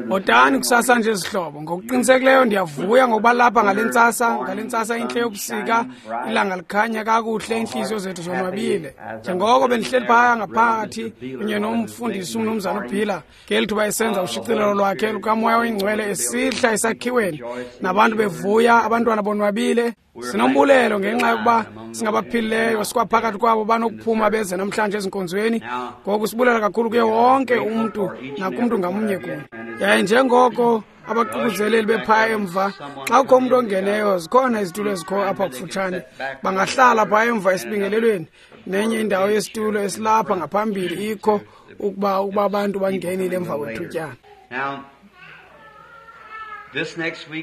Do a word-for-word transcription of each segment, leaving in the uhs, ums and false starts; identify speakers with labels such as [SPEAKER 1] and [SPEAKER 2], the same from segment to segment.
[SPEAKER 1] Bhotani kusasa nje zihlobo. Ngokuqinisekileyo ndiyavuya ngokuba lapha ngale ntsasa, ngale ntsasa intle yobusika, ilanga likhanya kakuhle, iintliziyo zethu zonwabile. Njengoko bendihleli phaya ngaphakathi kunye nomfundisi umnumzana uBhila ngeli thuba esenza ushicilelo lwakhe lukaMoya oyiNgcwele esihla esakhiweni, nabantu bevuya, abantwana bonwabile. Sinombulelo ngenxa yokuba singabaphilileyo sikwaphakathi kwabo banokuphuma beze namhlanje ezinkonzweni. Ngoku sibulela kakhulu kuye wonke umntu nakumntu ngamnye kuye. Yaye njengoko abaququzeleli bephaya emva, xa kukho umntu ongeneyo, zikhona izitulo ezikho apha kufutshane, bangahlala phaya emva esibingelelweni. Nenye indawo yesitulo esilapha ngaphambili ikho ukuba ukuba abantu bangenile emva kwethutyana.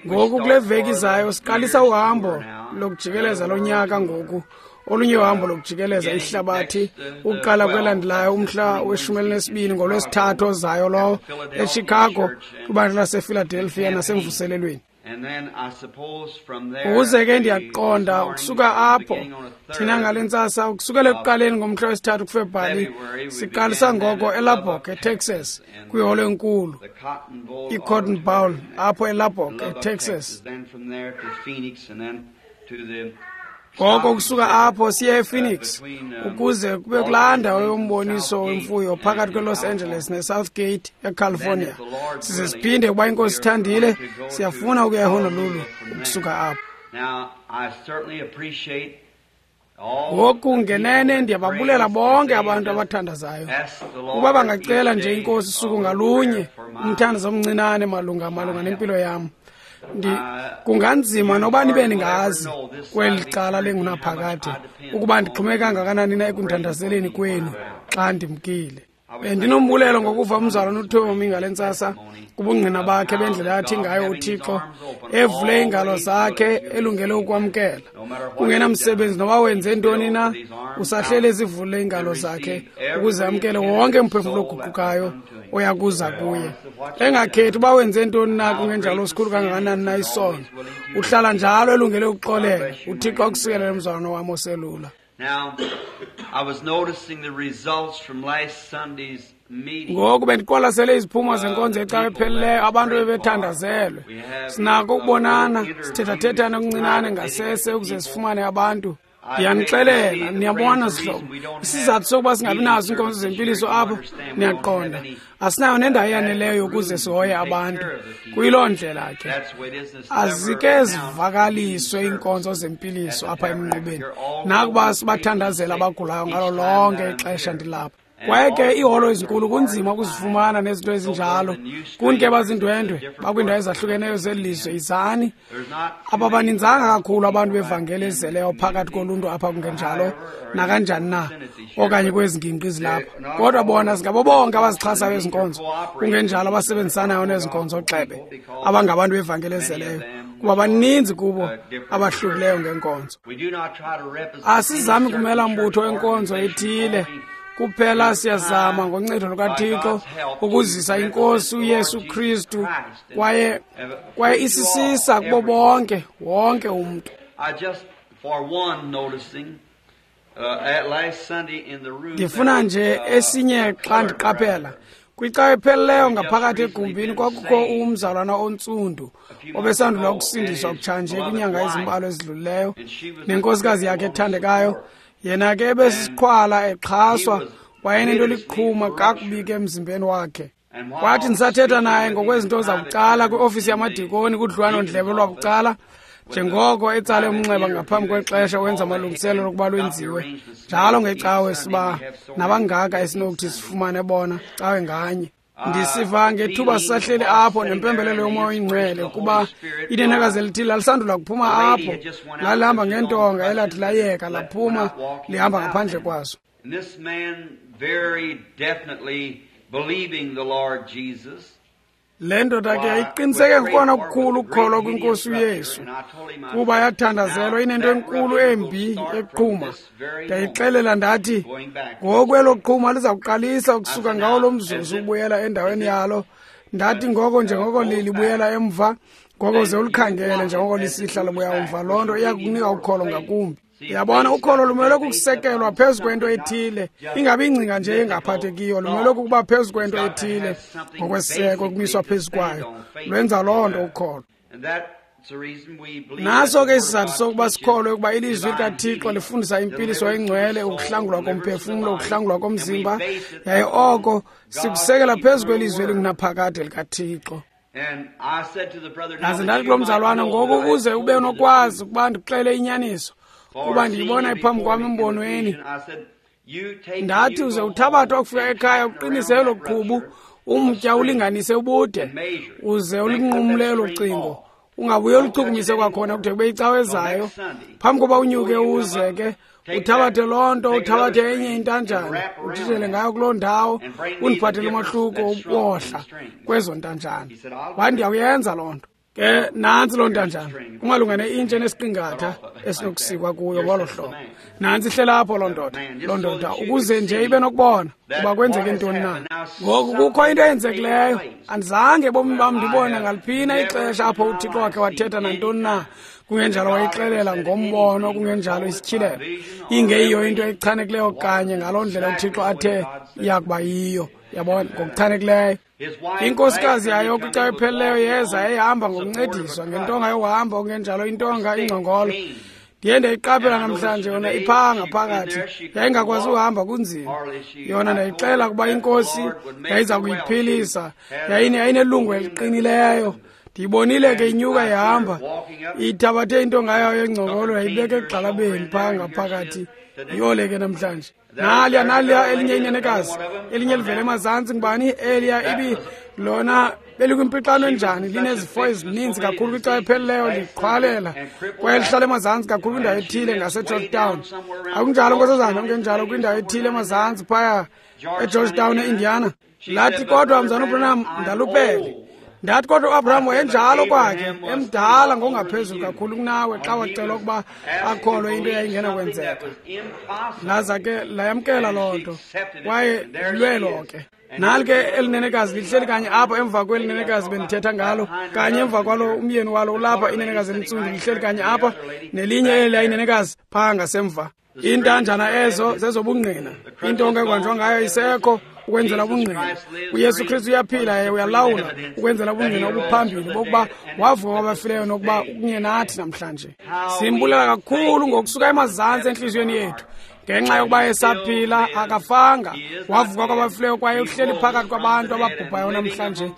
[SPEAKER 1] Ngoku kule veki izayo siqalisa uhambo lokujikeleza lonyaka ngoku, olunye uhambo lokujikeleza ihlabathi, ukuqala kwelandelayo umhla weshumi elinesibini ngoLwesithathu ozayo lowo eChicago, kwibandla lasePhiladelphia nasemvuselelweni. Ukuze ke ndiyaqonda ukusuka apho thina ngale ntsasa, ukusukela ekuqaleni ngomhla wesithathu kuFebruwari, siqalisa ngoko eLubbock eTexas, kwiholo enkulu iCotton Bowl apho eLubbock eTexas. Ngoko kusuka apho siye ePhoenix ukuze kube kulaa ndawo yomboniso wemfuyo phakathi kweLos Angeles neSouth Gate eCalifornia. Size siphinde ukuba iNkosi ithandile, siyafuna ukuya eHonolulu ukusuka apho. Ngoku ngenene ndiyababulela bonke abantu abathandazayo. Ukuba bangacela nje iNkosi suku ngalunye umthandazo omncinane malunga malunga nempilo yam. Ndi kunganzima noba nibe ningazi kweli cala lengunaphakade ukuba ndixhume kangakanani na ekundithandazeleni kwenu xa ndimkile. Bendinombulelo ngokuva umzalwana uTommy ngale ntsasa kubungqina bakhe bendlela athi ngayo uThixo evule iingalo zakhe elungele ukwamkela. Kungenamsebenzi noba wenze ntoni na, usahleli ezivule iingalo zakhe ukuze amkele wonke umphefumlo oguqukayo oyakuza kuye. Engakhethi uba wenze ntoni na, kungenjalo sikhulu kangakanani na isono, uhlala njalo elungele ukuxolela. UThixo akusikelele mzalwana wam oselula.
[SPEAKER 2] Now, I was noticing the results from last Sunday's meeting.
[SPEAKER 1] Ngoku bendiqwalasele iziphumo zenkonzo yecawa ephelileyo, abantu bebethandazelwe. Sinako ukubonana, sithethathethane okuncinane ngasese ukuze sifumane abantu. Ndiyanixelela, niyabona zihlobo, isizathu sokuba singabi nazo iinkonzo zempiliso apho, niyaqonda, asinayo nendawo eyaneleyo ukuze sihoye abantu. Kuyiloo ndlela ke azike zivakaliswe iinkonzo zempiliso apha emnqubeni, nakuba sibathandazela abagulayo ngalo lonke ixesha ndilapha. Kwaye ke iiholo ezinkulu kunzima ukuzifumana nezinto ezinjalo. Kuni ke bazindwendwe bakwiindawo ezahlukeneyo zeli lizwe, izani. Ababaninzanga kakhulu abantu bevangeli ezizeleyo phakathi koluntu apha, kungenjalo nakanjani na, okanye kwezi ngingqi zilapha. Kodwa bona singabo bonke abazixhasayo ezi nkonzo, kungenjalo abasebenzisanayo nezi nkonzo gxebe, abangabantu bevangeli ezizeleyo, kuba baninzi kubo abahlukileyo ngenkonzo. Asizami kumela mbutho wenkonzo ethile, kuphela siyazama ngoncedo lukaThixo ukuzisa iNkosi uYesu Kristu kwaye kwaye isisisa kubo bonke wonke umntu. Ndifuna nje esinye xa ndiqaphela kwicawa epheleleyo ngaphakathi egumbini kwakukho umzalwana ontsundu obesandula ukusindiswa kutshanje kwinyanga ezimbalwa ezidlulileyo nenkosikazi yakhe ethandekayo. Yena ke ebesiqhwala exhaswa, wayenento liqhuma kakubi ke emzimbeni wakhe. Kwathi ndisathetha naye ngokwezinto zabucala kwiofisi yamadikoni kudliwano-ndlebe lwabucala, njengoko etsale umnxeba ngaphambi kwexesha wenza amalungiselelo lokuba lwenziwe njalo ngecawe siba nabangaka esinokuthi sifumane bona cawe nganye. Ndisiva ngethuba sisahleli apho nempembelelo yoMoya oyiNgcwele kuba inenekazi elithile lalisandula kuphuma apho, lalihamba ngentonga elathi layeka laphuma lihamba ngaphandle kwazo. Le ndoda ke yayiqiniseke ngokona kukhulu ukukholwa kwiNkosi uYesu, kuba yathandazelwa inento enkulu embi eqhuma. Ndayixelela ndathi, ngoku elo qhuma liza kuqalisa ukusuka ngawo lo mzuzu ubuyela endaweni yalo. Ndathi ngoko njengoko lilibuyela emva, ngoko ze ulikhangele njengoko lisihla libuya umva. Loo nto iya kukunika ukholo ngakumbi. Yabona, ukholo lumelwe kukusekelwa phezu kwento ethile, ingabi ingcinga nje engaphathekiyo, lumelwe kukuba phezu kwento ethile ngokwesiseko ukumiswa phezu kwayo. Lwenza loo nto ukholo. Naso ke isizathu sokuba sikholwe ukuba ilizwi likaThixo lifundisa impiliso engcwele, ukuhlangulwa komphefumlo, ukuhlangulwa komzimba, yaye oko sikusekela phezu kwelizwi elingunaphakade likaThixo. Ndaze ndathi kulo mzalwana, ngoku ukuze ube nokwazi ukuba ndikuxele inyaniso, kuba ndiyibona iphambi kwam embonweni, ndathi uze uthabathe wakufika ekhaya uqinise elo qhubu, umtya ulinganise ubude, uze ulinqumle elo cingo, ungabuye oluchukumise kwakhona kude kube icawe ezayo. Phambi koba unyuke uze ke uthabathe loo nto, uthabathe enye intanjana, uthithele ngayo kuloo ndawo, undiphathele umahluko ubohla kwezo ntanjana. Wathi ndiyawuyenza loo nto. Ke nantsi loo ntanjana, kumalunga neintshi enesiqingatha esinokusikwa kuyo ngolo hlobo. Nantsi ihleli apho loo ndoda, loo ndoda, ukuze nje ibe nokubona uba kwenzeke ntoni na. Ngoku kukho into eyenzekileyo. Andizange ebomini bam ndibone ngaliphina ixesha apho uThixo wakhe wathetha nantoni na, kungenjalo wayixelela ngombono, kungenjalo isityhilelo, ingeyiyo into echanekileyo kanye ngaloo ndlela uThixo athe iyakuba yiyo. Yabona, ngokuchanekileyo. Inkosikazi yayo kwicawe epheleleyo yeza yayihamba ngokuncediswa ngentonga yokuhamba, okungenjalo intonga ingcongolo. Ndiye ndayiqaphela namhlanje yona iphaa ngaphakathi, yayingakwazi uhamba kunzima. Yona ndayixela ukuba inkosi yayiza kuyiphilisa, yayinelungu eliqinileyo. Ndiyibonile ke inyuka ihamba, ithabathe intonga yayo yengcongolo yayibeka egxalabeni phaa ngaphakathi. Yole ke namhlanje. Naliya naliya elinye inenekazi, elinye livela emazantsi, ngubani eliya ibi lona belikwimpixano enjani, linezifo ezininzi kakhulu kwicawe epheleleyo, liqhwalela kwaye lihlala emazantsi kakhulu kwindawo ethile ngaseGeorgetown. Akunjalo nkosazana, kungenjalo kwindawo ethile emazantsi phaya eGeorgetown eIndiana. Lathi kodwa mzana uBranham ndalupele. Ndathi kodwa uAbraham wayenjalo kwakhe, emdala ngokungaphezulu kakhulu kunawe xa wacelwa ukuba akholwe into eyayingena kwenzeka. Laza ke layamkela loo nto, kwaye lilwelo ke. Nali ke elinenekazi lihleli kanye apha emva kwelinenekazi bendithetha ngalo, kanye emva kwalo umyeni walo ulapha, inenekazi elintsundu lihleli kanye apha, nelinye eliya inenekazi phaa ngasemva. Iintanjana ezo zezobungqina, intonga ekwanjwa ngayo isekho ukwenzela ubungqina. UYesu Kristu uyaphila, yaye uyalawula ukwenzela ubungqina obuphambili bokuba wavuka kwabafileyo nokuba ukunye nathi namhlanje. Simbulela kakhulu ngokusuka emazantsi entliziyweni yethu ngenxa yokuba esaphila, akafanga, wavuka kwabafileyo kwaye uhleli phakathi kwabantu ababhubhayo namhlanje,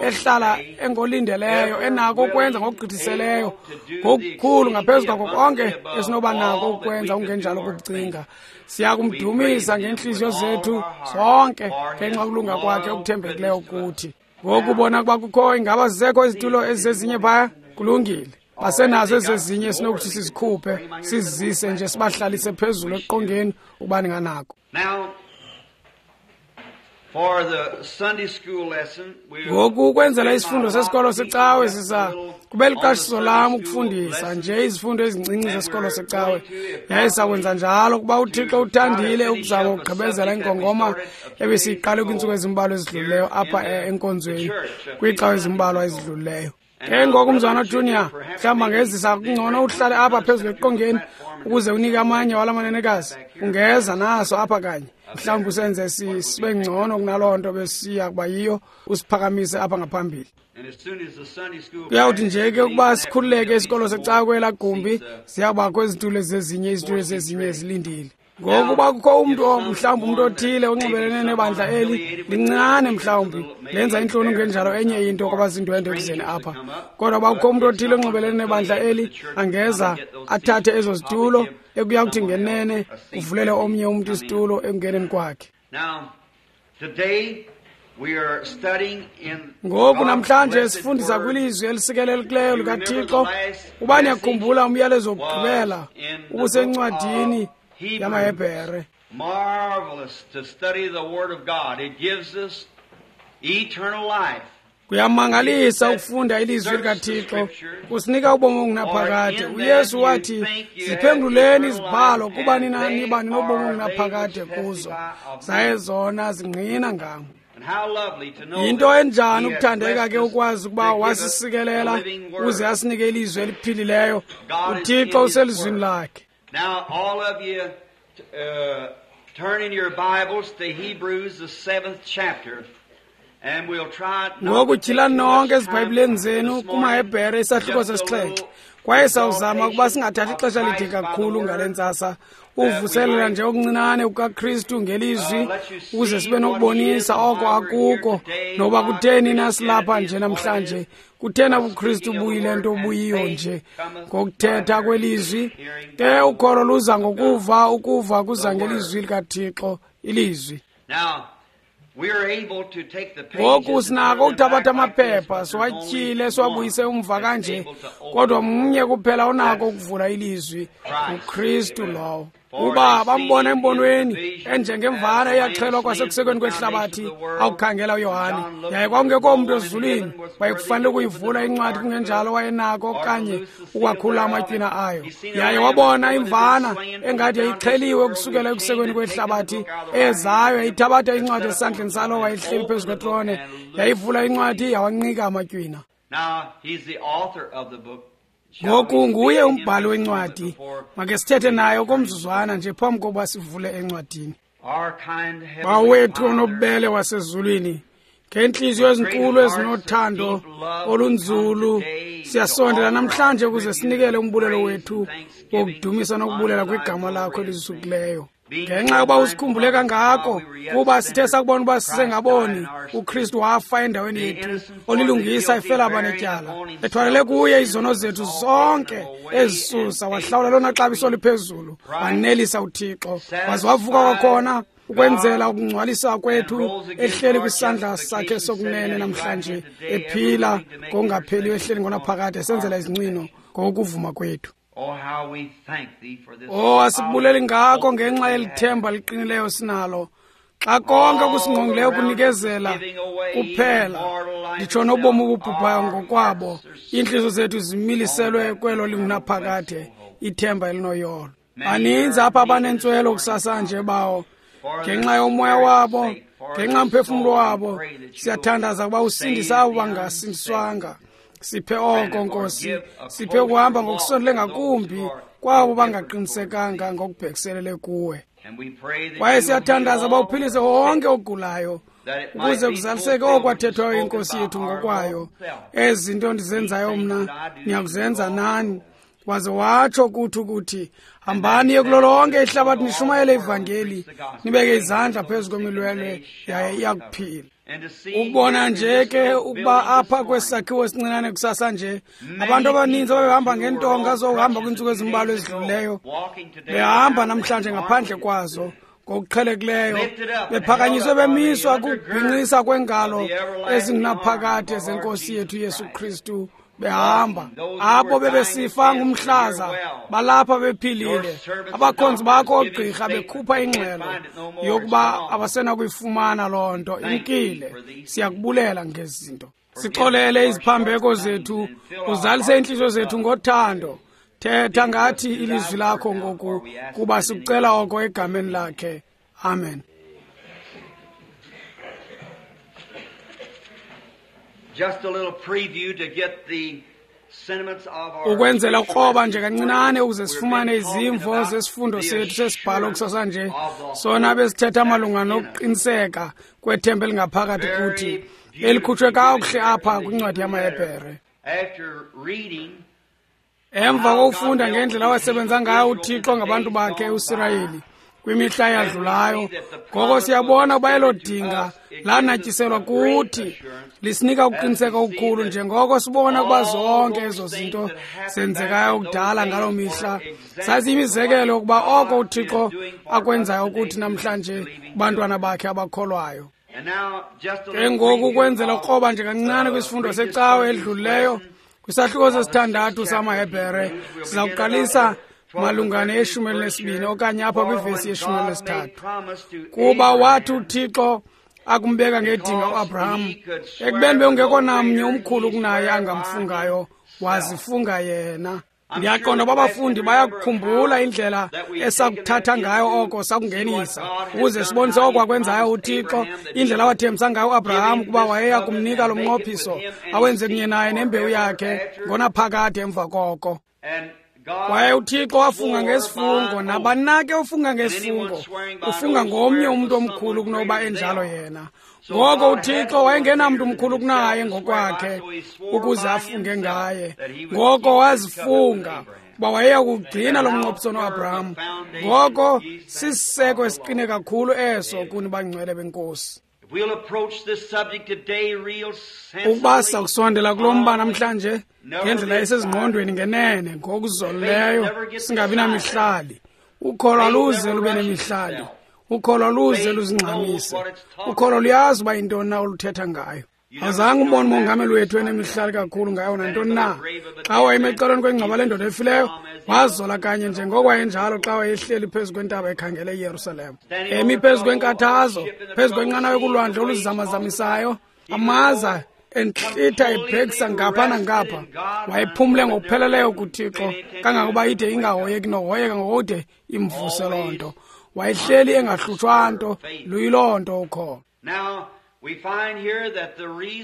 [SPEAKER 1] ehlala engolindeleyo, enako ukwenza ngokugqithiseleyo ngokukhulu ngaphezu kwako konke esinoba nako ukwenza ungenjalo kukucinga. Siyakumdumisa ngeentliziyo zethu zonke ngenxa yokulunga kwakhe okuthembekileyo kuthi. Ngoku bona ukuba kukho, ingaba zisekho izitulo ezizezinye phaya? Kulungile. Basenazo ezezinye esinokuthi sizikhuphe, sizizise nje sibahlalise phezulu eqongeni ukuba ninganako. Ngoku ukwenzela isifundo sesikolo secawe sisa kube liqashiso lam ukufundisa nje izifundo ezincinci zesikolo secawe, yaye sakwenza njalo kuba uThixo uthandile ukuzama ukugqibezela ingongoma ebesiyiqale kwiintsuku ezimbalwa ezidlulileyo apha enkonzweni kwiicawe ezimbalwa ezidlulileyo. Ke ngoku mzwana Junior, mhlawumbi angezisa kungcono uhlale apha phezulu eqongeni ukuze unike amanye wala manenekazi. Ungeza naso apha kanye, mhlawumbi usenze sibe ngcono kunaloo nto besiya kuba yiyo, usiphakamise apha ngaphambili. Kuyawuthi nje ke ukuba sikhululeke isikolo secawe kwelaa gumbi, ziyawubakho izitulo ezezinye, izitulo ezezinye ezilindile. Ngoku uba kukho umntu, mhlawumbi umntu othile onxibelene nebandla eli lincinane, mhlawumbi lenza intloni kungenjalo enye into kwabazindwendwe ekuzeni apha. Kodwa uba kukho umntu othile onxibelene nebandla eli, angeza athathe ezo zitulo, ekuya kuthi ngenene uvulele omnye umntu isitulo ekungeneni kwakhe. Ngoku namhlanje sifundisa kwilizwi elisikelelekileyo likaThixo. Uba niyakhumbula umyalezo wokugqibela ubusencwadini yamaHebhere.
[SPEAKER 2] Marvelous to study the Word of God. It gives us eternal life.
[SPEAKER 1] Kuyamangalisa ukufunda ilizwi likaThixo, kusinika ubomi obungunaphakade. UYesu wathi, ziphenguleni izibhalo kuba nina niba ninobomi obungunaphakade kuzo, zaye zona zingqina ngam. Yinto enjani ukuthandeka ke ukwazi ukuba wasisikelela uze asinike ilizwi eliphilileyo. UThixo uselizwini lakhe.
[SPEAKER 2] Now, all of you, uh, turn in your Bibles to Hebrews, the seventh chapter. And we'll try
[SPEAKER 1] Ngoku tyhilani nonke ezibhayibhileni zenu kumaHebhere isahluko sesixhenxe. Kwaye sawuzama ukuba singathathi ixesha lide kakhulu ngale ntsasa, uvuselela nje okuncinane kukaKristu ngelizwi ukuze sibe nokubonisa oko akuko noba kutheni na silapha nje namhlanje, kutheni ubuKristu buyile nto buyiyo nje ngokuthetha kwelizwi. Ke ukholo luza ngokuva, ukuva kuza ngelizwi likaThixo, ilizwi. Ngoku sinako ukuthabatha amaphepha siwatyhile siwabuyise umva kanje, kodwa mnye kuphela onako ukuvula ilizwi, uKristu lowo. Kuba bambona embonweni enjengemvana eyaxhelwa kwasekusekweni kwehlabathi awukhangela uYohane, yaye kwakungekho mntu ezulwini wayekufanele ukuyivula incwadi, kungenjalo wayenako okanye ukwakhula amatywina ayo. Yaye wabona imvana engathi yayixheliwe ukusukela ekusekweni kwehlabathi, ezayo yayithabatha incwadi esandleni salo wayehleli phezu kwetrone, yayivula incwadi yawanqika amatywina. Ngoku nguye umbhali wencwadi. Make sithethe naye okomzuzwana nje phambi kokuba sivule encwadini. Bawethu onobubele wasezulwini, ngeentliziyo ezinkulu ezinothando olunzulu siyasondela namhlanje ukuze sinikele umbulelo wethu wokudumisa nokubulela kwigama lakho elizukileyo. Ngenxa yokuba usikhumbule kangako, kuba sithe sakubona uba sisengaboni, uKristu wafa endaweni yethu, olilungisa efela abanetyala, ethwalele kuye izono zethu zonke ezisusa, wahlawula lona xabiso liphezulu, wanelisa uThixo, waze wavuka kwakhona ukwenzela ukungcwalisa kwethu, ehleli kwisandla sakhe sokunene namhlanje, ephila ngokungapheliyo, ehleli ngonaphakade, esenzela izincwino ngokuvuma kwethu. Oh, asibuleli ngako ngenxa yelithemba liqinileyo sinalo. Xa konke okusingqongileyo kunikezela kuphela, nditsho nobomi obubhubhayo ngokwabo, iintliziyo zethu zimiliselwe kwelo lingunaphakade, ithemba elinoyolo. Baninzi apha abanentswelo kusasa nje bawo, ngenxa yomoya wabo, ngenxa yomphefumlo wabo, siyathandaza ukuba usindise abo bangasindiswanga. Siphe oko, Nkosi, siphe ukuhamba ngokusondele ngakumbi kwabo bangaqinisekanga ngokubhekiselele kuwe. Kwaye siyathandaza uba uphilise wonke ogulayo, ukuze kuzaliseke okwathethwayo inkosi yethu ngokwayo. Ezi zinto ndizenzayo mna, niyakuzenza nani. Waze watsho kuthi ukuthi, hambani niye kulo lonke ihlabathi nishumayele ivangeli, nibeke izandla phezu kwemilwelwe yaye iyakuphila. Ukubona nje ke ukuba apha kwesakhiwo esincinane kusasa nje, abantu abaninzi ababehamba ngeentonga zokuhamba kwiintsuku ezimbalwa ezidlulileyo, behamba namhlanje ngaphandle kwazo ngokuqhelekileyo, bephakanyiswe bemiswa kukubhinqisa kwengalo ezingunaphakade zenkosi yethu Yesu Kristu, behamba. Abo bebesifa ngumhlaza balapha bephilile, abakhonzi bakho oogqirha bekhupha ingxelo yokuba abasenakuyifumana loo nto, imkile. Siyakubulela ngezi zinto. Sixolele iziphambeko zethu, uzalise iintliziyo zethu ngothando. Thetha ngathi ilizwi lakho ngoku, kuba sikucela oko egameni lakhe. Amen.
[SPEAKER 2] Just a little preview to get the sentiments of our
[SPEAKER 1] ukwenzela ukroba nje kancinane ukuze sifumane izimvo zesifundo sethu sesibhalo kusasa nje, sona besithetha malunga nokuqiniseka kwethemba elingaphakathi kuthi elikhutshwe kakuhle apha kwincwadi yamaHebhere. Emva kokufunda ngendlela awasebenza ngayo uThixo ngabantu bakhe uSirayeli kwimihla eyadlulayo, ngoko siyabona ukuba elo dinga lanatyiselwa kuthi, lisinika ukuqiniseka okukhulu njengoko sibona ukuba zonke ezo zinto zenzekayo kudala ngaloo mihla zaziyimizekelo yokuba oko uThixo akwenzayo kuthi namhlanje kubantwana bakhe abakholwayo. Ke ngoku ukwenzela ukroba nje kancinane kwisifundo secawe edlulileyo, kwisahluko sesithandathu samaHebhere, siza kuqalisa malunga neyeshumi elinesibini okanye apha kwivesi yeshumi elinesithathu. Kuba wathi uThixo akumbeka ngedinga uAbraham, ekubeni bekungekho namnye umkhulu kunaye angamfungayo, wazifunga yena. Ndiyaqonda uba abafundi bayakukhumbula indlela esakuthatha ngayo oko sakungenisa, ukuze sibonise oko akwenzayo uThixo, indlela awathembisa ngayo uAbraham ukuba wayeya kumnika lo mnqophiso awenze kunye naye nembewu yakhe ngonaphakade emva koko. Kwaye uThixo wafunga ngesifungo, nabani na ke ufunga ngesifungo, ufunga ngomnye umntu omkhulu kunoba enjalo yena. Ngoko uThixo wayengenamntu mkhulu kunaye ngokwakhe ukuze afunge ngaye. Ngoko wazifunga uba wayeya kugcina lo mnqophiso noAbraham. Ngoko sisiseko esiqine kakhulu eso kuni bangcwele benkosi. Ukuba sakusondela kulo mba namhlanje ngendlela esezingqondweni ngenene ngokuzolileyo, singabi namihlali. Ukholo aluze lube nemihlali. Ukholo aluze luzingxamise. Ukholo luyazi uba yintoni na oluthetha ngayo. Azange umbone umongameli wethu enemihlali kakhulu ngayo nantoni na. Xa wayeme ecaleni kwengcwaba lendoda efileyo, wazola kanye njengoko wayenjalo xa wayehleli phezu kwentaba ekhangele iYerusalem. Emi phezu kwenkathazo, phezu kwenqanawa kulwandle oluzamazamisayo, amaza entlitha ebhekisa ngapha nangapha. Wayephumle ngokupheleleyo kuThixo kangangokuba ide ingahoyeki nohoyeka ngokude imvuse loo nto. Wayehleli engahlutshwa nto, luyiloo nto ukholo.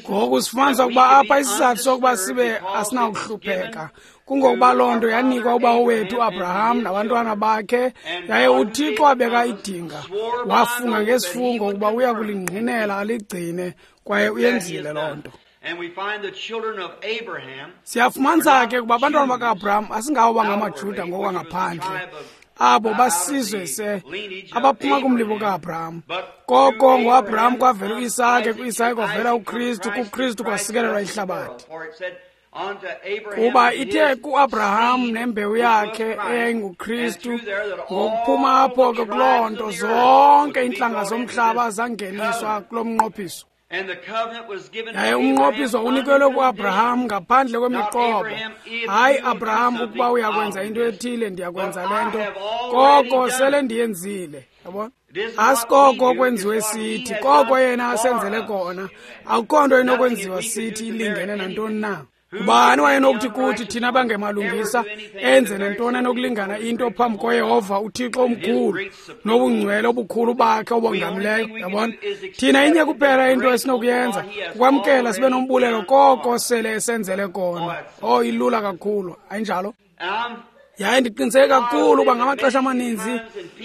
[SPEAKER 1] Ngoku sifumanisa ukuba apha isizathu sokuba sibe asinawuhlupheka kungokuba loo nto yanikwa ubawo wethu uAbraham nabantwana bakhe, yaye uThixo wabeka idinga, wafunga ngesifungo ukuba uya kulingqinela aligcine, kwaye uyenzile loo nto. Siyafumanisa ke ukuba abantwana baka-Abraham asingabo bangamaJuda ngokwangaphandle, abo basizwe se abaphuma kumlibo kaAbraham. Koko ngoAbraham kwavela uIsake, kuIsake kwavela uKristu, kuKristu kwasikelelwa ihlabathi. Kuba ithe kuAbraham nembewu yakhe eyayinguKristu, ngokuphuma apho ke kuloo nto zonke iintlanga zomhlaba zangeniswa kulo mnqophiso. Yaye umnqophiso unikelwe kuAbraham ngaphandle kwemiqobo. Hayi Abraham, ukuba uyakwenza into ethile ndiyakwenza le nto, koko sele ndiyenzile. Yabona? Asikoko kwenziwe sithi, koko yena asenzele kona. Akukho nto inokwenziwa sithi ilingene nantoni na. Ubani wayenokuthi kuthi thina bangemalungisa enze nantoni enokulingana into phambi koYehova uThixo omkhulu nobungcwele obukhulu bakhe obongamileyo? Yabona? Thina inye kuphela into esinokuyenza kukwamkela sibe nombulelo koko sele esenzele kona. Oh, ilula kakhulu, ayinjalo? Yaye ndiqiniseke kakhulu uba ngamaxesha amaninzi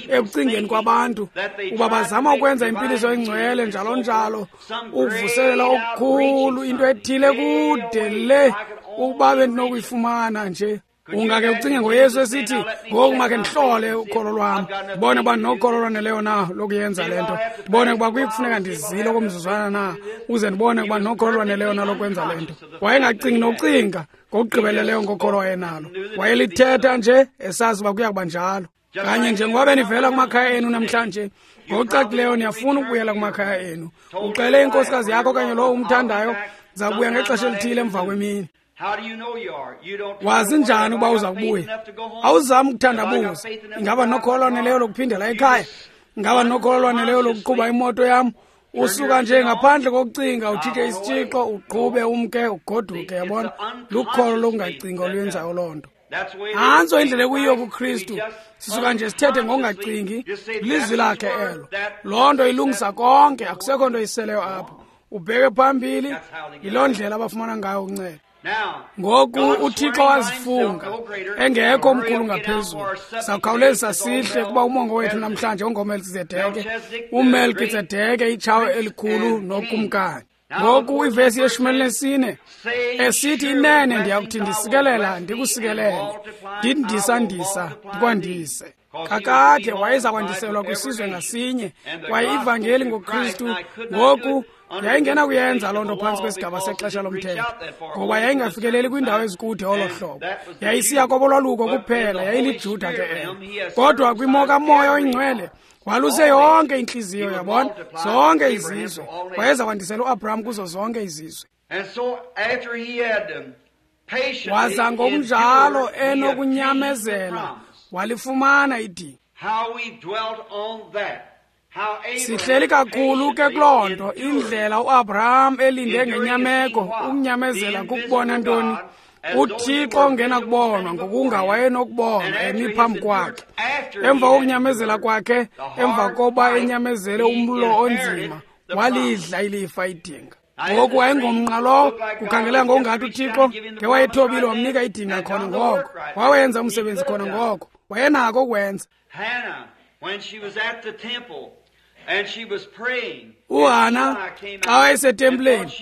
[SPEAKER 1] ekucingeni kwabantu uba bazama ukwenza impiliso engcwele njalo njalo, ukuvuselela okukhulu, into ethile kude le ukuba bendinokuyifumana nje. Ungake ucinge ngoYesu esithi, ngoku makhe ndihlole ukholo lwam, ndibone uba ndinokholo lwaneleyo na lokuyenza le nto, ndibone ukuba kuye kufuneka ndizile okomzuzwana na ukuze ndibone ukuba ndinokholo lwaneleyo na lokwenza le nto. Wayengacingi nokucinga ngokugqibeleleyo ngokholo wayenalo. Wayelithetha nje esazi uba kuya kuba njalo. Kanye njengoba benivela kumakhaya enu namhlanje, ngokucacileyo niyafuna ukubuyela kumakhaya enu. Uxele inkosikazi yakho okanye lowo umthandayo, ndiza kubuya ngexesha elithile emva kwemini. Wazi njani ukuba uza kubuya? Awuzami ukuthandabuza. Ingaba nokholo lwaneleyo lokuphindela ekhaya? Ingaba nokholo lwaneleyo lokuqhuba imoto yam? Usuka nje ngaphandle kokucinga, ujike isitshixo, uqhube umke, ugoduke. Yabona? Lukholo lokungacingi oluyenzayo loo nto. Nantso indlela ekuyiyo kuKristu. Sisuka nje sithethe ngokungacingi, lizwi lakhe elo. Loo nto ilungisa konke, akusekho nto iseleyo apho. Ubheke phambili, yiloo ndlela abafumana ngayo uncedo. Ngoku uThixo wazifunga engekho omkhulu ngaphezulu. Sawukhawulezisa sihle kuba umongo wethu namhlanje ungoMelkizedeke, uMelkizedeke itshawe elikhulu nokumkani. Ngoku ivesi yeshumi elinesine esithi, inene ndiyakuthi ndisikelela ndikusikelele, ndindisandisa ndikwandise. Kakade wayeza kwandiselwa kwisizwe ngasinye, kwaye ivangeli ngoKristu ngoku yayingenakuyenza loo nto phantsi kwesigaba sexesha lomthetho, ngoba yayingafikeleli kwiindawo ezikude olo hlobo. Yayisiya kobolwaluko kuphela, yayiliJuda ke elo. Kodwa kwimo kaMoya oyiNgcwele waluse yonke intliziyo, yabona, zonke izizwe. Wayeza kwandisela uAbraham kuzo zonke izizwe. Waza ngokunjalo enokunyamezela walifumana idinga. Sihleli kakhulu ke kuloo nto, indlela uAbraham elinde ngenyameko. Ukunyamezela kukubona ntoni? UThixo ongenakubonwa, ngokunga wayenokubonwa emi phambi kwakhe. Emva kokunyamezela kwakhe, emva koba enyamezele umlo onzima, walidla ilifa idinga. Ngoku wayengomnqa lowo, kukhangeleka ngokungathi uThixo ngewayethobile wamnika idinga khona ngoko. Wawenza umsebenzi khona ngoko. Wayenako ukwenza. UHana xa wayesetempileni,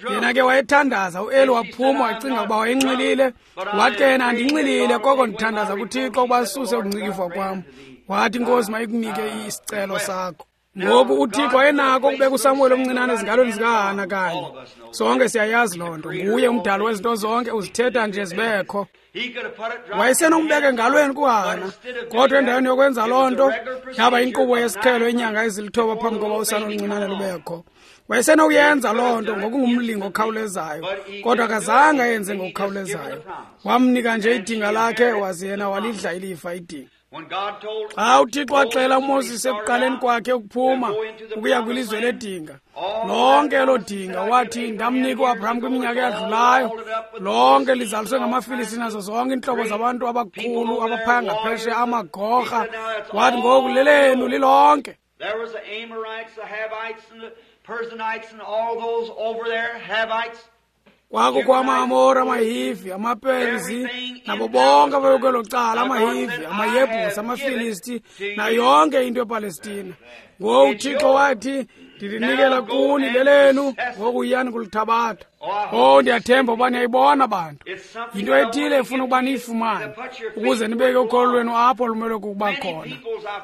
[SPEAKER 1] yena ke wayethandaza. uEli waphuma wacinga ukuba wayenxilile. Wathi ke yena, andinxilile, koko ndithandaza kuThixo ukuba asuse ukungcikivwa kwam. Wathi, Inkosi mayikunike isicelo sakho. Ngoku uThixo wayenako ukubeka uSamuweli omncinane ezingalweni zikaHana kanye. Sonke siyayazi loo nto. Nguye umdali wezinto zonke, uzithetha nje zibekho. Wayesenokumbeka engalweni kuHana, kodwa endaweni yokwenza loo nto yaba inkqubo yesiqhelo inyanga ezilithoba phambi koba usana oluncinane lubekho. Wayesenokuyenza loo nto ngokungumlingo okhawulezayo, kodwa akazange ayenze ngokukhawulezayo. Wamnika nje idinga lakhe, waze yena walidla ilifa idinga. Xa uThixo waxela uMoses ekuqaleni kwakhe ukuphuma ukuya kwilizwe ledinga, lonke elo dinga wathi, ndamnika uAbraham kwiminyaka eyadlulayo, lonke lizaliswe ngamaFilisti nazo zonke iintlobo zabantu abakhulu abaphaya ngaphesheya, amagorha. Wathi ngoku lelenu lilonke. Kwakukho amaAmori, amaHivi, amaPerizi, nabo bonke ababekwelo cala, amaHivi, amaYebhusi, amaFilisti, nayo yonke into ePalestina. Ngoku uThixo wathi, ndilinikela kuni lelenu, ngoku yiyani kulithabatha. Oh, ndiyathemba uba niyayibona bantu. Yinto ethile efuna ukuba niyifumane, ukuze nibeke ukholo lwenu apho lumelwe kukuba khona.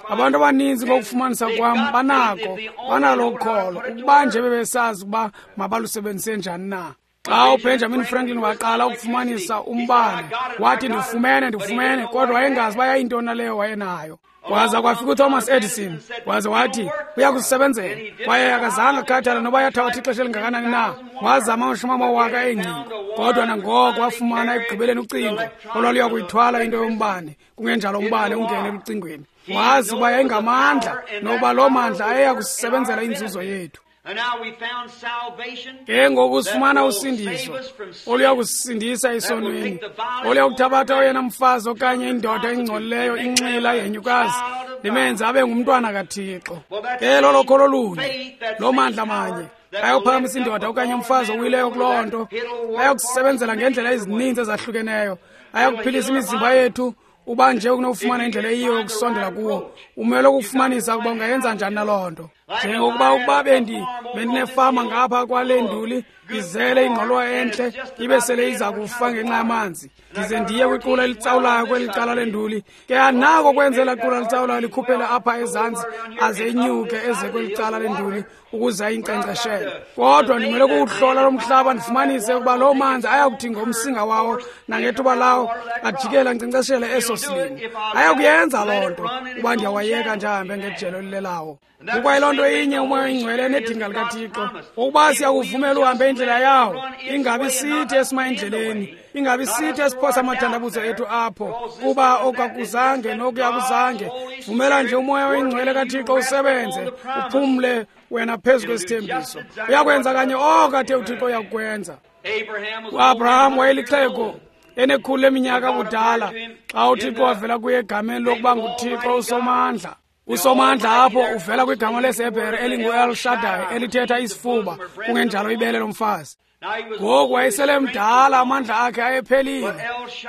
[SPEAKER 1] Abantu abaninzi ngokufumanisa kwam banako, banalo ukholo, ukuba nje bebesazi ukuba mabalusebenzise njani na. Xa uBenjamin Franklin waqala ukufumanisa umbane, wathi ndifumene, ndifumene, kodwa wayengazi uba yayintoni na leyo wayenayo. Waza kwafika uThomas Edison, waze wathi uyakusebenzela, kwaye akazange akhathala noba yathabatha ixesha elingakanani na. Wazama amashumi amawaka eengcingo, kodwa nangoko wafumana ekugqibeleni ucingo olwaluya kuyithwala into yombane, kungenjalo umbane ungene elucingweni. Wazi uba yayingamandla, nokuba loo mandla ayeya kusisebenzela inzuzo yethu. Ke ngoku sifumana usindiso oluya kusisindisa esonweni, oluya kuthabatha oyena mfazi okanye indoda engcolileyo, inxila, yenyukazi, limenze abe ngumntwana kaThixo. Ke lolo kholo lunye, loo mandla manye ayophakamisa indoda okanye umfazi owileyo kuloo nto, ayokusebenzela ngeendlela ezininzi ezahlukeneyo, ayakuphilisa imizimba yethu. Uba nje unokufumana indlela eyiyo yokusondela kuwo, umele ukufumanisa ukuba ungayenza njani na loo nto. Njengokuba ukuba bendi bendinefama ngapha kwale nduli, izele ingqolowa entle, ibe sele iza kufa ngenxa yamanzi, ndize ndiye kwiqula elitsawulayo kweli cala lenduli. Ke anako kwenzela qula litsawulayo likhuphele apha ezantsi, aze enyuke eze kweli cala lenduli ukuze ayinkcenkceshele. Kodwa ndimele kuwuhlola lo mhlaba ndifumanise ukuba loo manzi ayakuthi ngomsinga wawo nangethuba lawo ajikele ankcenkceshele eso silimo. Ayakuyenza loo nto uba ndiyawayeka nje ahambe ngejelo elilelawo. Kukwayiloo nto inye uMoya oyiNgcwele nedinga likaThixo, ukuba siyakuvumela uhambe indlela yawo, ingabi sithi esima endleleni, ingabi sithi esiphosa amathandabuzo ethu apho, kuba okakuzange nokuya kuzange. Vumela nje uMoya oyiNgcwele kaThixo usebenze, uphumle wena phezu kwesithembiso. Uyakwenza kanye oko athe uThixo uyakukwenza. UAbraham wayelixhego enekhulu leminyaka kudala xa uThixo wavela kuye egameni lokuba nguThixo uSomandla. USomandla apho uvela kwigama lesiHebhere elingu-El Shaddai, elithetha isifuba, kungenjalo ibele lomfazi. Ngoku wayesele mdala, amandla akhe ayephelile,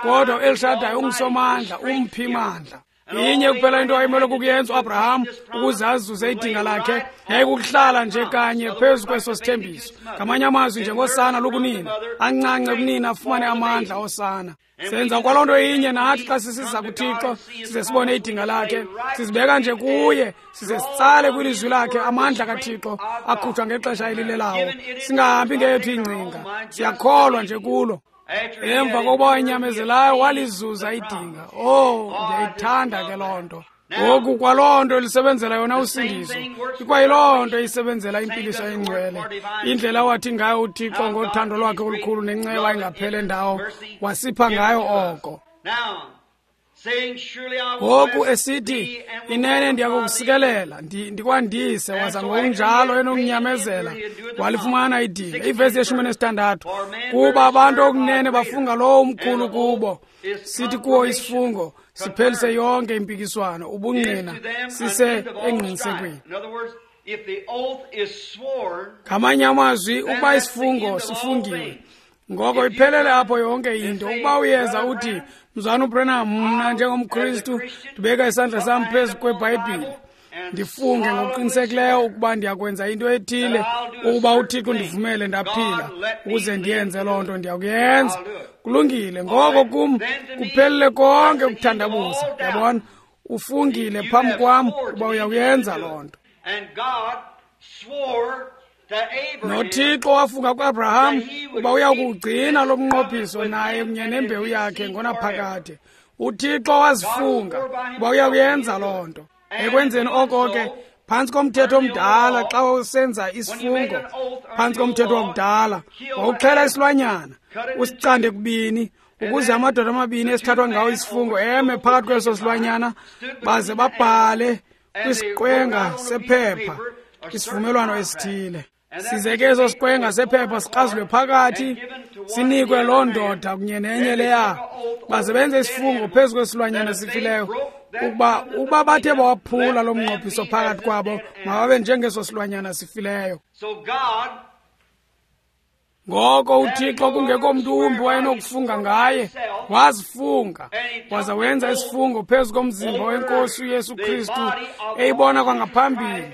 [SPEAKER 1] kodwa uEl Shaddai ungusomandla, umphi mandla. Inye kuphela into ayemele kukuyenza uAbraham ukuze azuze idinga lakhe, yayikukuhlala nje kanye phezu kweso sithembiso. Ngamanye amazwi, njengosana lukunina, ancance kunina afumane amandla osana. Senza kwaloo nto inye nathi xa sisiza kuThixo, size sibone idinga lakhe, sizibeka nje kuye, size sitsale kwilizwi lakhe amandla kaThixo akhutshwa ngexesha elilelawo. Singahambi ngeyethu ingcinga, siyakholwa nje kulo. Emva kokuba wanyamezelayo walizuza idinga. Oh, ndiyayithanda ke loo nto. Ngoku kwaloo nto lisebenzela yona usindiso, ikwayiloo nto isebenzela impiliso engcwele. Indlela awathi ngayo uThixo ngothando lwakhe olukhulu nenceba engaphele ndawo, wasipha ngayo oko. Ngoku esithi, inene ndiyakukusikelela, ndikwandise, waza ngokunjalo enokunyamezela walifumana idinga. Ivesi yeshumi nesithandathu, kuba abantu okunene bafunga lowo umkhulu kubo, sithi kuwo isifungo siphelise yonke impikiswano, ubungqina sise engqinisekweni. Ngamanye amazwi, ukuba isifungo sifungiwe, ngoko iphelele apho yonke into. Ukuba uyeza uthi, Mzalwana uBranham, mna njengomKristu ndibeka isandla sam phezu kweBhayibhile, ndifunge ngokuqinisekileyo ukuba ndiyakwenza into ethile, ukuba uThixo ndivumele ndaphila ukuze ndiyenze loo nto, ndiyakuyenza. Kulungile. Ngoko kum kuphelele konke ukuthandabuza. Yabona, ufungile phambi kwam ukuba uyakuyenza loo nto. NoThixo wafunga kuAbraham uba uyakuwugcina lo mnqophiso naye kunye nembewu yakhe ngonaphakade. UThixo wazifunga uba uyakuyenza loo nto. Ekwenzeni oko ke, phantsi komthetho omdala, xa usenza isifungo phantsi komthetho wakudala, wawuxhela isilwanyana usicande kubini, ukuze amadoda amabini esithathwa ngawo isifungo eme phakathi kweso silwanyana, baze babhale kwisiqwenga sephepha isivumelwano esithile. Size ke eso siqwenga sephepha sikrazulwe phakathi, sinikwe loo ndoda kunye nenye leya, baze benze isifungo phezu kwesilwanyana esifileyo, ukuba ukuba bathe bawaphula lo mnqophiso phakathi kwabo, mababe njengeso silwanyana sifileyo. Ngoko uThixo, kungekho mntu wumbi wayenokufunga ngaye, wazifunga waza wenza isifungo phezu komzimba wenkosi uYesu Kristu, eyibona kwangaphambili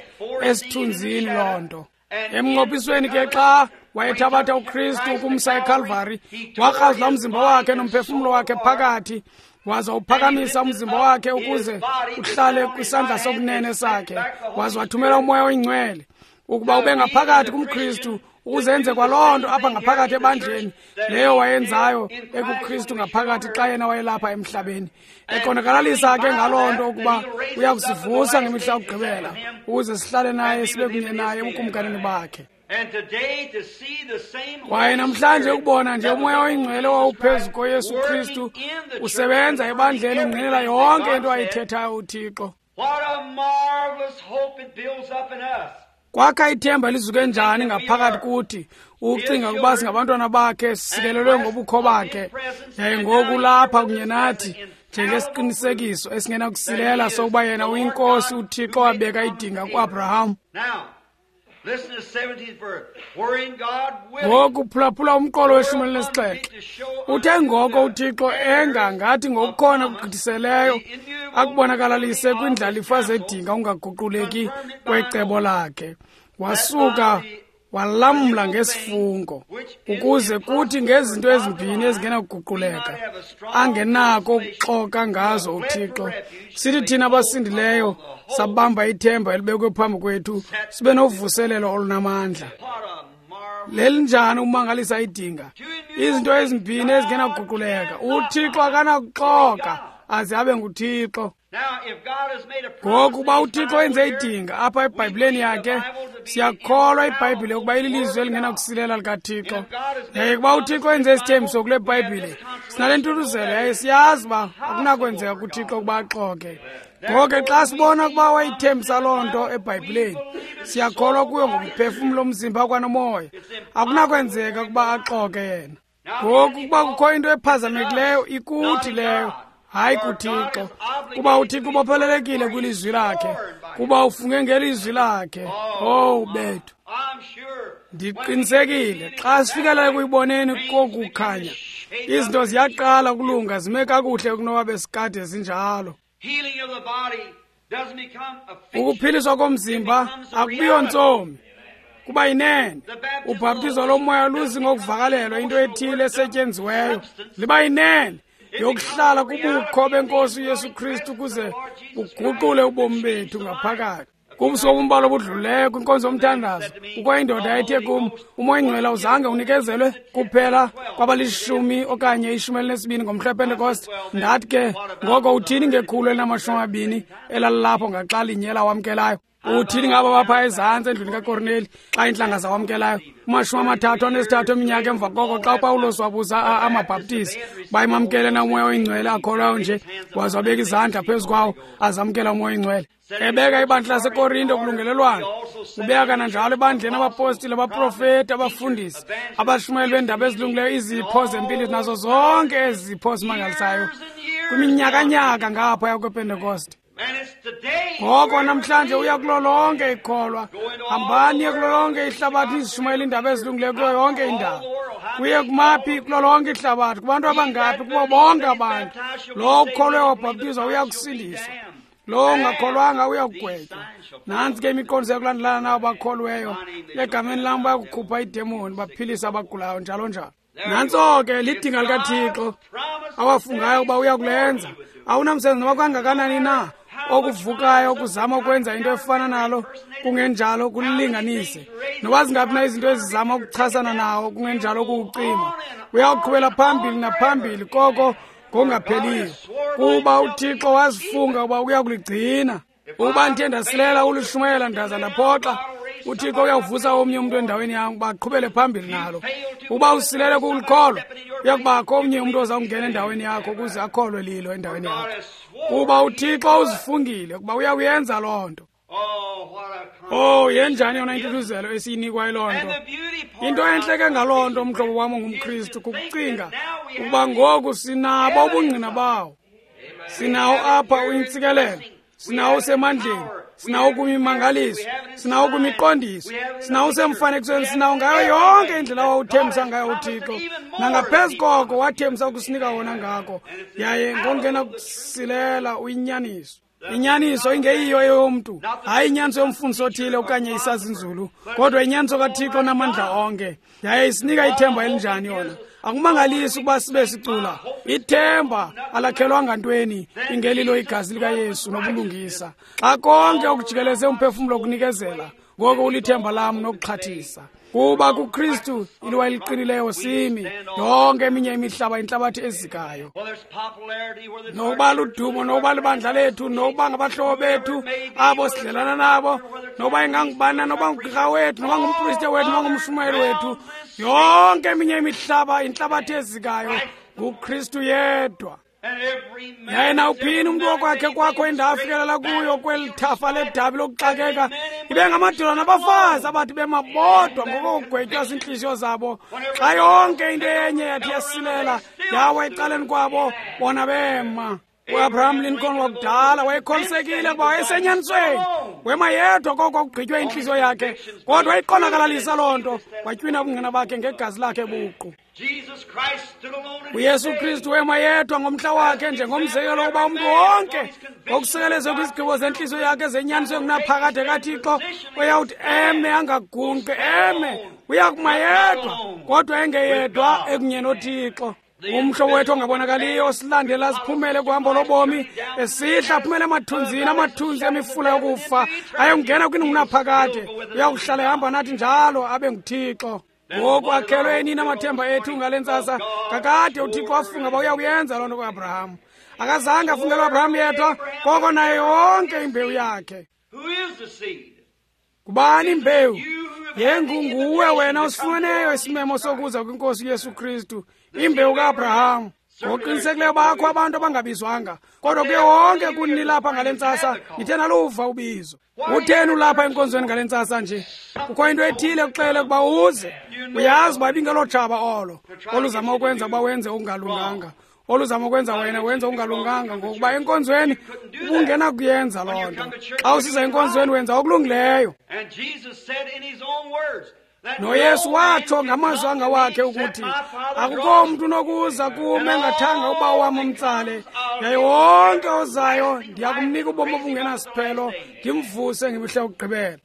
[SPEAKER 1] esithunzini loo nto. Emnqophisweni ke, xa wayethabatha uKristu ukumsa eKalvari, wakrazula umzimba wakhe nomphefumlo wakhe phakathi, waza uphakamisa umzimba wakhe ukuze uhlale kwisandla sokunene sakhe, waza wathumela uMoya oyiNgcwele ukuba ube ngaphakathi kumKristu, ukuze enze kwaloo nto apha ngaphakathi ebandleni leyo wayenzayo ekuKristu ngaphakathi xa yena wayelapha emhlabeni, eqondakalalisa ke ngaloo nto ukuba uyakusivusa ngemihla yokugqibela ukuze sihlale naye, sibe kunye naye ebukumkanini bakhe. Kwaye namhlanje ukubona nje uMoya oyiNgcwele owawuphezu koYesu Kristu usebenza ebandleni, ungqinela yonke into ayithethayo uThixo. Kwakha ithemba lizuke njani ngaphakathi kuthi, ucinga ukuba singabantwana bakhe, sisikelelwe ngobukho bakhe, yaye ngoku lapha kunye nathi njengesiqinisekiso esingenakusilela sokuba yena uyinkosi uThixo wabeka idinga kuAbraham. Ngoku phulaphula umqolo weshumi elinesixhenxe. Uthe ngoko uThixo enga ngathi ngokukhona kugqithiseleyo akubonakalalise kwindlalifa zedinga ungaguquleki kwecebo lakhe, wasuka walamla ngesifungo, ukuze kuthi ngezinto ezimbini ezingenakuguquleka angenako ukuxoka ngazo uThixo, sithi thina abasindileyo sabamba ithemba elibekwe phambi kwethu, sibe novuselelo olunamandla. Lelinjani ukumangalisa idinga! Izinto ezimbini ezingenakuguquleka, uThixo akanakuxoka aze abe nguThixo. Ngoku uba uThixo wenze idinga apha eBhayibhileni yakhe, siyakholwa iBhayibhile ukuba ililizwi elingenakusilela likaThixo. Yaye kuba uThixo wenze isithembiso kule Bhayibhile, sinale ntuthuzelo yaye siyazi uba akunakwenzeka kuThixo ukuba axoke. Ngoko ke xa sibona ukuba wayithembisa loo nto eBhayibhileni, siyakholwa kuyo ngomphefumlo, umzimba kwanomoya. Akunakwenzeka ukuba axoke yena. Ngoku ukuba kukho into ephazamekileyo, ikuthi leyo, hayi kuThixo, kuba uThixo ubophelelekile kwilizwi lakhe, kuba ufunge ngelizwi lakhe. Oh bethu, ndiqinisekile xa sifikela ekuyiboneni kokukhanya, izinto ziyaqala ukulunga, zime kakuhle kunoba besikade zinjalo. Ukuphiliswa komzimba akubiyo ntsomi, kuba yinene. Ubhaptizo lomoya luzi ngokuvakalelwa into ethile esetyenziweyo, liba yinene yokuhlala kubukho benkosi uYesu Kristu kuze uguqule ubomi bethu ngaphakathi. Kubusuku obumbala obudlulileyo kwinkonzo yomthandazo, kukho indoda ethe kum, uMoya oyiNgcwele awuzange unikezelwe kuphela kwabalishumi okanye ishumi elinesibini ngomhla wePentekoste. Ndathi ke, ngoko uthini ngekhulu elinamashumi amabini elalilapho ngaxa linye lawamkelayo? Uthini ngabo bapha ezantsi endlwini kaKorneli xa iintlanga zawamkelayo? Kumashumi amathathu anesithathu eminyaka emva koko, xa uPawulos wabuza amaBhaptizi bayimamkele na uMoya oyiNgcwele akholwayo nje, waze wabeka izandla phezu kwawo azamkela uMoya oyiNgcwele. Ebeka ibandla laseKorinto kulungelelwano, ubeka kananjalo ebandleni abapostile, abaprofeti, abafundisi, abashumayeli beendaba ezilungileyo, izipho zempilo nazo zonke ezi zipho zimangalisayo kwiminyakanyaka ngaphaya kwePentekoste. Ngoko namhlanje uya kulo lonke ikholwa. Hambani kulo lonke ihlabathi nizishumayele iindaba ezilungileyo kuyo yonke indawo. Kuye kumaphi kulo lonke ihlabathi, kubantu abangaphi, kubo bonke abantu. Lowo ukholwe wabhaptizwa uya kusindiswa, lowo ungakholwanga uya kugwetywa. Nantsi ke imiqondiso yokulandelana nabo bakholweyo. Egameni lam bayakukhupha iidemoni, baphilise abagulayo, njalo njalo. Nantso ke lidinga likaThixo awafungayo ukuba uya kulenza. Awunamsebenzi noba kangakanani na okuvukayo ukuzama ukwenza into efana nalo, kungenjalo kulilinganise. Noba zingaphi na izinto ezizama ukuchasana nawo, kungenjalo kuwucima. Uyawuqhubela phambili naphambili koko ngokungapheliyo, kuba uThixo wazifunga ukuba uya kuligcina. Ukuba ndithe ndasilela ulishumayela ndaza ndaphoxa, uThixo uyawuvusa omnye umntu endaweni yam ukuba aqhubele phambili nalo. Uba usilele kulikholwa, uyakubakho omnye umntu oza kungena endaweni yakho ukuze akholwe lilo endaweni yakho, kuba uThixo uzifungile ukuba uyakuyenza loo nto. Oh, yenjani yona intuthuzelo esiyinikwa yiloo nto. Into entle ke ngaloo nto, mhlobo wam ongumKristu, kukucinga ukuba ngoku sinabo ubungqina bawo. Sinawo apha uyintsikelelo, sinawo usemandleni, sinawo kwimimangaliso, sinawo kwimiqondiso, sinawo usemfanekisweni, sinawo ngayo yonke indlela wawuthembisa ngayo uThixo. Nangaphezu koko wathembisa ukusinika wona ngako, yaye ngongena kusilela uyinyaniso. Inyaniso ingeyiyo eyomntu, hayi inyaniso yomfundisi othile okanye isazinzulu, kodwa inyaniso kaThixo namandla onke. Yaye isinika ithemba elinjani yona. Akumangalisi ukuba sibe sicula ithemba alakhelwanga ntweni ingelilo igazi likaYesu nobulungisa. Xa konke okujikeleze umphefumlo kunikezela, ngoko ulithemba lam nokuxhathisa. Kuba kuKristu iliwa eliqinileyo simi, yonke eminye imihlaba intlabathi ezikayo. Nokuba ludumo, nokuba libandla lethu, nokuba ngabahlobo bethu abo sidlelana nabo, nokuba ingangubani, nokuba ngugqirha wethu, nokuba ngumpriste wethu, nokuba ngumshumayeli wethu, yonke eminye imihlaba intlabathi ezikayo nguKristu yedwa. Yaye nawuphini umntu okwakhe kwakho indawo afikelela kuyo kweli thafa ledabi lokuxakeka, ibe ngamadoda nabafazi abathi bema bodwa ngokugwetywa ziintliziyo zabo. Xa yonke into enye yathi yasilela yawa ecaleni kwabo, bona bema. UAbraham Lincoln wakudala wayekholisekile ukuba wayesenyanisweni. Wema yedwa koko kugqitywe intliziyo yakhe, kodwa wayiqondakalalisa loo nto, watywina ubungqina bakhe ngegazi lakhe buqu. uYesu Kristu wema yedwa ngomhla wakhe njengomzekelo wokuba umntu wonke ngokusekelezwe kwizigqibo zentliziyo yakhe zenyaniso engunaphakade kaThixo uyawuthi eme angagunqi, eme uyakuma yedwa, kodwa engeyedwa ekunye noThixo. Umhlobo wethu ongabonakaliyo osilandela siphumele kuhambo lobomi, esihla aphumele emathunzini, amathunzi emifula yokufa, ayongena kwingunaphakade. Uyakuhlala ehamba nathi njalo abe nguThixo. Ngoku akhelwe nini amathemba ethu ngale ntsasa? Kakade uThixo wafunga uba uyakuyenza loo nto kuAbraham. Akazange afungele uAbraham yedwa, koko nayo yonke imbewu yakhe. Ngubani imbewu? Yengunguwe wena osifumeneyo isimemo sokuza kwinkosi uYesu Kristu, imbewu kaAbraham. Ngokuqinisekileyo bakho abantu abangabizwanga, kodwa kuye wonke kuni lapha ngale ntsasa nithe naluva ubizo. Utheni ulapha enkonzweni ngale ntsasa nje? Kukho into ethile ekuxelele ukuba uze. Uyazi uba ibingelo tshaba olo oluzama ukwenza uba wenze okungalunganga, oluzama ukwenza wena wenze okungalunganga, ngokuba enkonzweni ubungenakuyenza loo nto. Xa usiza enkonzweni wenza okulungileyo. NoYesu watsho ngamazwi angawakhe ukuthi, akukho mntu unokuza kum engathanga uba wam umtsale, yaye wonke ozayo ndiya kumnika ubomi obungenasiphelo, ndimvuse ngemihla yokugqibela.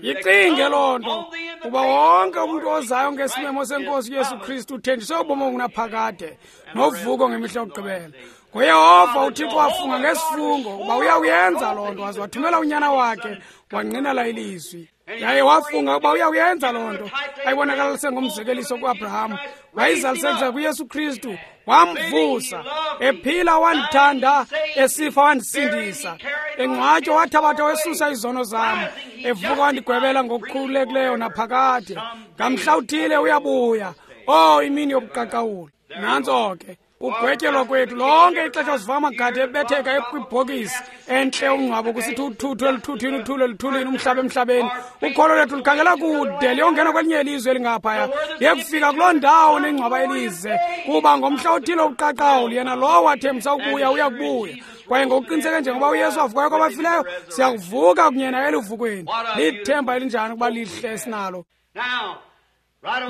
[SPEAKER 1] Yicinge loo nto, kuba wonke umntu ozayo ngesimemo senkosi uYesu Kristu uthenjiswe ubomi obungunaphakade novuko ngemihla yokugqibela. NgoYehova uThixo wafunga ngesifungo ukuba uyawuyenza loo nto, waze wathumela unyana wakhe wangqinela ilizwi. Yaye wafunga ukuba uyawuyenza loo nto, ayibonakalise ngomzekeliso kuAbraham, wayizalisekisa kuYesu Kristu, wamvusa ephila, wandithanda, esifa wandisindisa, engcwatywa wathabatha wesusa izono zam, evuka wandigwebela ngokukhululekileyo naphakade. Ngamhla uthile uyabuya. Oh, imini yobuqaqawuli. Nantso ke. Ugwetyelwa kwethu lonke ixesha siva amagade ebetheka kwibhokisi entle umngcwabo kusithi uthuthu eluthuthwini, uthulu eluthulini, umhlaba emhlabeni. Ukholo lwethu lukhangela kude liyongena kwelinye ilizwe elingaphaya, liyekufika kuloo ndawo nengcwaba elize, kuba ngomhla othile uqaqawuli yena lowo wathembisa ukubuya uyakubuya. Kwaye ngokuqiniseke njengoba uYesu wavukayo kwabafileyo, siyakuvuka kunye naye eluvukweni. Lithemba elinjani ukuba lihle esinalo.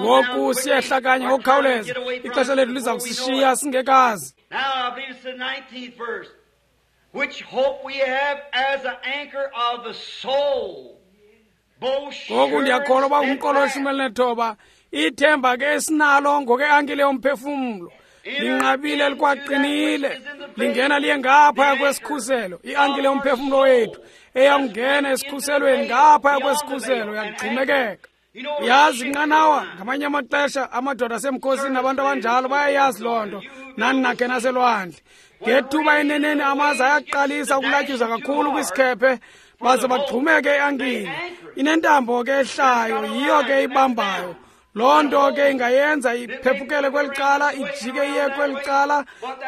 [SPEAKER 1] Ngoku siyehla kanye ngokukhawuleza, ixesha lethu liza kusishiya singekazi. Ngoku ndiyakholwa uba ngumqolo weshumi elinethoba. Ithemba ke esinalo ngoke-ankile yomphefumlo linqabile likwaqinile, lingena liye ngaphaya kwesikhuselo. I-ankile yomphefumlo wethu eyakungena esikhuselweni ngaphaya kwesikhuselo yakugxumekeka. Yazi inqanawa ngamanye amaxesha amadoda asemkhosini nabantu abanjalo bayayazi loo nto. Nani nakhe naselwandle ngethuba eneneni amaza ayaqalisa ukulatyuza kakhulu kwisikhephe baze bagxumeke i-ankile. Inentambo ke ehlayo, yiyo ke ibambayo. Loo nto ke ingayenza iphephukele kweli cala, ijike iye kweli cala,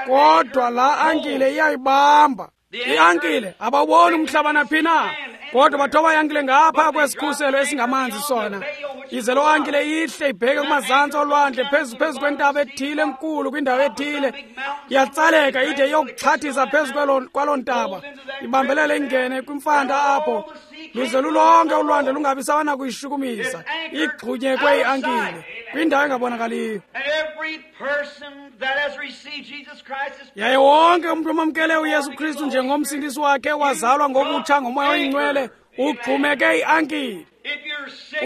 [SPEAKER 1] kodwa laa ankile iyayibamba. I-ankile abawuboni umhlaba naphi na, kodwa bathoba i-ankile ngapha kwesikhuselo esingamanzi sona. Ize loo ankile ihle ibheke kumazantsi olwandle phezu phezu kwentaba ethile enkulu kwindawo ethile. Iyatsaleka ide iyokuxhathisa phezu kwaloo ntaba, ibambelele ingene kwimfanta apho, luze lulonke ulwandle lungabi sawana kuyishukumisa. Igxunyekwe i-ankile kwindawo engabonakaliyo. Yaye wonke umntu omamkele uYesu Kristu njengomsindisi wakhe wazalwa ngokutsha ngoMoya oyiNgcwele ugxumeke i-ankile.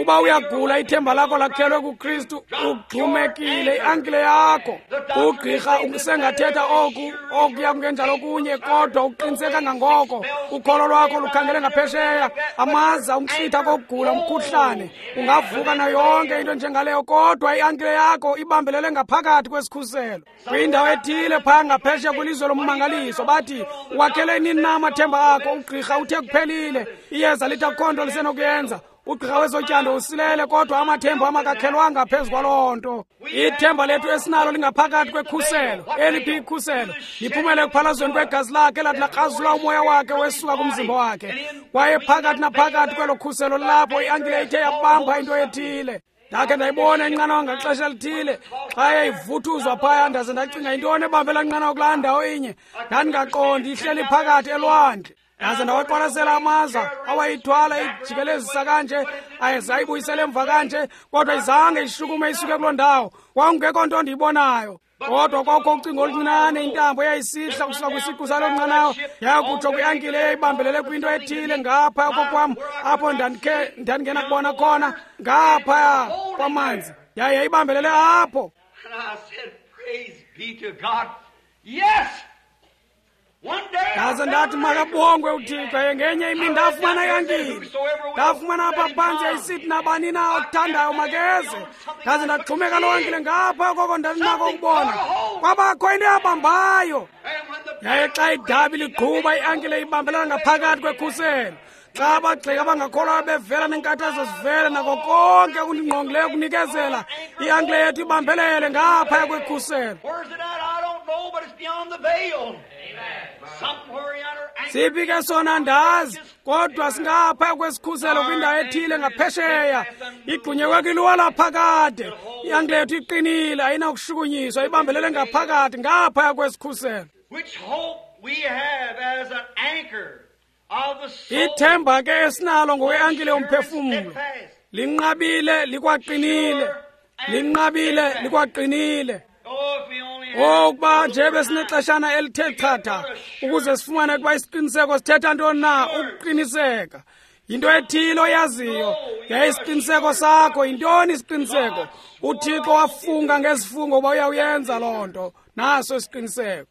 [SPEAKER 1] Uba uyagula, ithemba lakho lakhelwe kuKristu, ugxumekile i-ankile yakho. Ugqirha usengathetha oku okuya kungenjalo kunye, kodwa uqiniseka kangangoko ukholo lwakho lukhangele ngaphesheya. Amaza umhlitha kokugula, umkhuhlane ungavuka nayo yonke into njengaleyo, kodwa i-ankile yakho ibambelele ngaphakathi kwesikhuselo kwindawo ethile phaya ngaphesheya kwilizwe lommangaliso. Bathi wakhele nini na amathemba akho? Ugqirha uthe kuphelile, iyeza lithi akukho nto lisenokuyenza. Ugqirha wezotyando usilele, kodwa amathemba amakakhelwanga phezu kwaloo nto. Ithemba lethu esinalo lingaphakathi kwekhuselo. Eliphi ikhuselo? Liphumele ekuphalazweni kwegazi lakhe elathi lakrazula umoya wakhe wesuka kumzimba wakhe. Kwaye phakathi naphakathi kwelo khuselo lapho i-ankile ithe yabamba into ethile. Ndakhe ndayibona inqanawa ngaxesha elithile xa yayivuthuzwa phaya, ndaze ndacinga yintoni ebambela nqanawa kulaa ndawo inye. Ndandingaqondi, ihleli phakathi elwandle. Ndaze ndawaqwalasela amaza awayithwala ijikelezisa kanje, ayezayibuyisela emva kanje, kodwa izange ishukume isuke kuloo ndawo. Kwakungekho nto ndiyibonayo, kodwa kwakukho ucingo oluncinane, intambo eyayisihla kusuka kwisiqu saloo nqanawa yakutsho kwi-ankile eyayibambelele kwinto ethile ngaphaya kokwam, apho ndandikhe ndandingena kubona khona ngaphaya kwamanzi. Yaye yayibambelele apho. Ndaze ndathi makabongwe uThixo. Ngenye imini ndafumana i-ankile, ndafumana apha phantsi yayisithi nabani na othandayo makeze. Ndaze ndaxhumeka loo ankile ngapha koko ndandinako ukubona. Kwabakho into eyabambayo. Yaye xa idabi ligquba, i-ankile ibambelela ngaphakathi kwekhuselo. Xa abagxeki abangakholwayo bevela neenkathazo zivele nako konke okundingqongileyo kunikezela, i-ankile yethu ibambelele ngaphaya kwekhuselo. Siphi ke sona andazi, kodwa singaphaya kwesikhuselo kwindawo ethile ngaphesheya. Igxunyekwe kwiluwa laphakade. I-ankile yethu iqinile, ayinakushukunyiswa, ibambelele ngaphakathi ngaphaya kwesikhuselo. Ithemba ke esinalo ngokwe-ankile yomphefumlo linqabile likwaqinile, linqabile likwaqinile. Okuba nje besinexeshana elithe chatha ukuze sifumane ukuba isiqiniseko sithetha ntoni na. Ukuqiniseka yinto ethile oyaziyo, yaye isiqiniseko sakho yintoni isiqiniseko? UThixo wafunga ngezifungo uba uyawuyenza loo nto, naso isiqiniseko.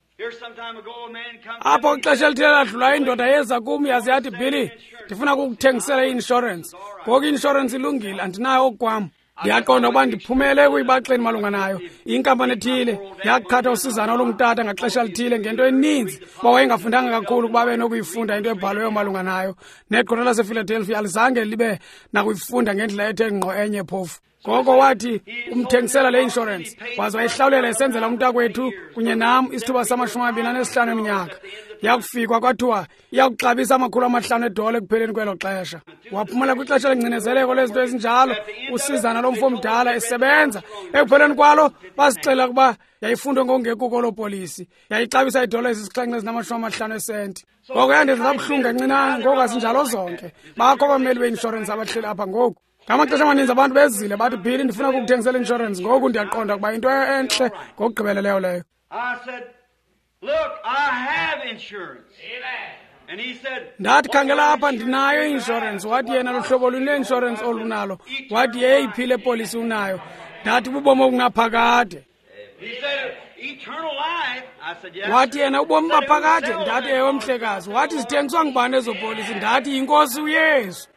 [SPEAKER 1] Apho ixesha elithile ladlulayo, indoda yeza kum yaze yathi, Billy, ndifuna ukukuthengisela i-inshorensi. Ngoku i-inshorensi ilungile, andinayo okwam. Ndiyaqonda ukuba ndiphumele ekuyibaxeni malunga nayo. Inkampani ethile yaqhatha usizana olungutata ngaxesha lithile ngento eninzi, kuba wayengafundanga kakhulu ukuba benokuyifunda into ebhalweyo malunga nayo. Negqirha lasePhiladelphia alizange libe nakuyifunda ngendlela ethe ngqo enye phofu. Ngoko wathi umthengisela le insurance, waze wayihlawulela esenzela umntakwethu kunye nam isithuba samashumi amabini anesihlanu eminyaka. Yakufikwa kwathiwa iyakuxabisa amakhulu amahlanu edola ekupheleni kwelo xesha. Waphumela kwixesha lengcinezeleko lezinto ezinjalo, usizana lomfo omdala esebenza. Ekupheleni kwalo basixelela ukuba yayifundwe ngokungekuko loo polisi, yayixabisa idola ezisixhenxe ezinamashumi amahlanu esenti. Ngoko yandenza kabuhlungu kancinane, ngoku azinjalo zonke. Bakho abameli beinshorensi abahleli apha ngoku. Ngamaxesha amaninzi abantu bezile bathi, Billy, ndifuna ukukuthengisela inshorensi. Ngoku ndiyaqonda ukuba into entle ngokugqibeleleyo leyo. Ndathi, khangela apha, ndinayo i-inshorensi. Wathi yena, luhlobo luni lweinshorensi olunalo? Wathi, yeyiphi le polisi unayo? Ndathi, bubomi obungaphakade. Wathi yena, ubomi baphakade? Ndathi, ewe mhlekazi. Wathi, zithengiswa ngubani ezo polisi? Ndathi, yinkosi uYesu.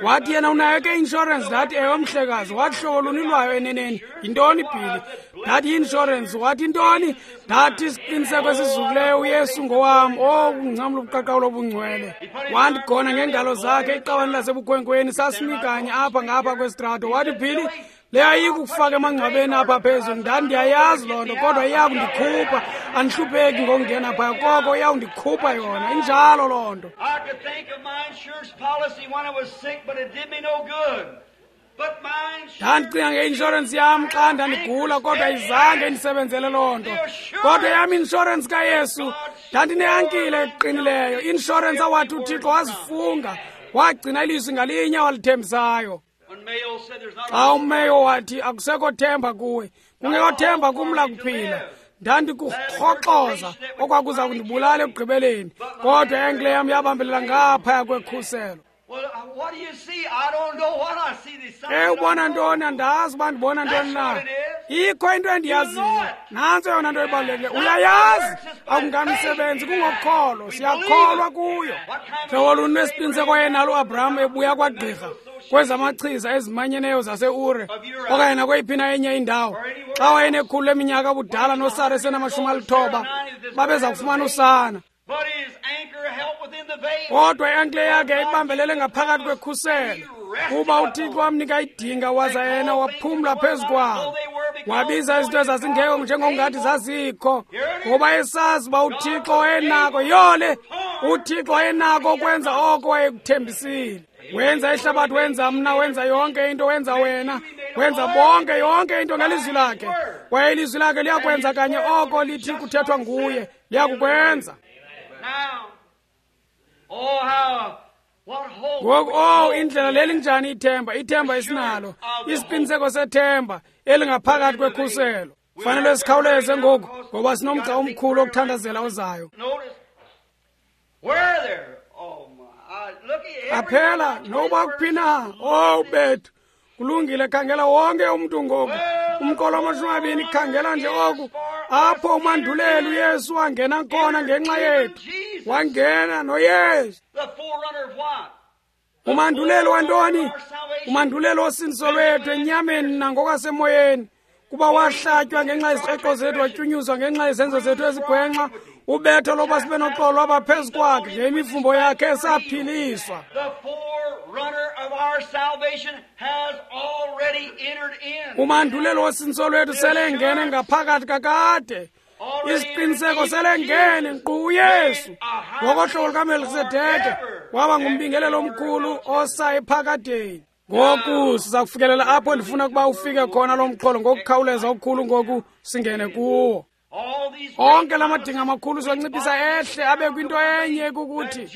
[SPEAKER 1] Wathi yena, unayo ke i-inshorensi? Ndathi, ewe mhlekazi. Wathi, hlobo luni lwayo eneneni? Yintoni, Billy? Ndathi, i-inshorensi. Wathi, intoni? Ndathi, isiqiniseko esizukileyo uYesu ngowam. Oh, kungcamla ubuqaqawulo obungcwele. Wandigona ngeengalo zakhe iqabane lasebukhwenkweni, sasimi kanye apha ngapha kwesitrato. Wathi, Billy, le ayikufaka emangcwabeni apha phezulu. Ndathi, ndiyayazi loo nto, kodwa iyakundikhupha. Andihlupheki ngokungena phaya, koko iyawundikhupha yona. Injalo loo nto. Ndandicinga ngeinshorensi yam xa ndandigula, kodwa izange indisebenzele loo nto. Kodwa yam inshorensi kaYesu, ndandineankile eqinileyo, inshorensi awathi uThixo wazifunga, wagcina ilizwi ngalinye walithembisayo. Xa umeyo wathi akusekho themba kuwe, kungekho themba kum lakuphila, ndandikurhoxoza okwakuza kundibulala ekugqibeleni, kodwa i-ankle yam yabambelela ngaphaya kwekhuselo. E ubona ntoni? Andazi uba ndibona ntoni na. Ikho into endiyaziyo, nantso yona nto ebalulekileyo. Uyayazi, akungamisebenzi, kungokholo, siyakholwa kuyo. Hlobo luni lwesiqiniseko yenalo uAbraham ebuya kwagqirha kwezamachiza ezimanyeneyo zaseUre okanye nakweyiphi na enye indawo, xa wayenekhulu leminyaka ubudala noSara esenamashumi alithoba, babeza kufumana usana. Kodwa i-ankle yakhe yayibambelele ngaphakathi kwekhuselo, kuba uThixo wamnika idinga waza yena waphumla phezu kwalo. Wabiza izinto ezazingekho njengokungathi zazikho, ngoba esazi uba uThixo wayenako. Yole, uThixo wayenako ukwenza oko wayekuthembisile. Wenza ihlabathi, wenza mna, wenza yonke into, wenza wena, wenza bonke, yonke into ngelizwi lakhe. Kwaye ilizwi lakhe liyakwenza kanye oko lithi kuthethwa nguye, liyakukwenza. Ngoku, oh, indlela lelinjani ithemba, ithemba esinalo, isiqiniseko sethemba elingaphakathi kwekhuselo. Fanele sikhawuleze ngoku, ngoba sinomgca omkhulu wokuthandazela ozayo. Qaphela, noba kuphi na, oh bethu, kulungile, khangela wonke umntu ngoku. Umqolo wamashumi amabini, khangela nje oku. Apho umanduleli uYesu wangena khona ngenxa yethu. Wangena noYesu. Umanduleli wantoni? Umanduleli wosindiso lwethu enyameni nangokwasemoyeni. Kuba wahlatywa ngenxa yezikreqo zethu, watyunyuzwa ngenxa yezenzo zethu ezigwenxa. Ubetho loba sibe noxolo lwaba phezu kwakhe, ngemivumbo yakhe saphiliswa. Umanduleli wosindiso lwethu selengene ngaphakathi kakade. Isiqiniseko selengene nkqu uYesu. Ngokohlobo lukaMelkisedeke waba ngumbingelelo omkhulu osa ephakadeni. Ngoku siza kufikelela apho ndifuna ukuba ufike khona lo mxholo ngokukhawuleza okukhulu ngoku singene kuwo. Onke la madinga amakhulu siwanciphisa ehle abe kwinto enye, kukuthi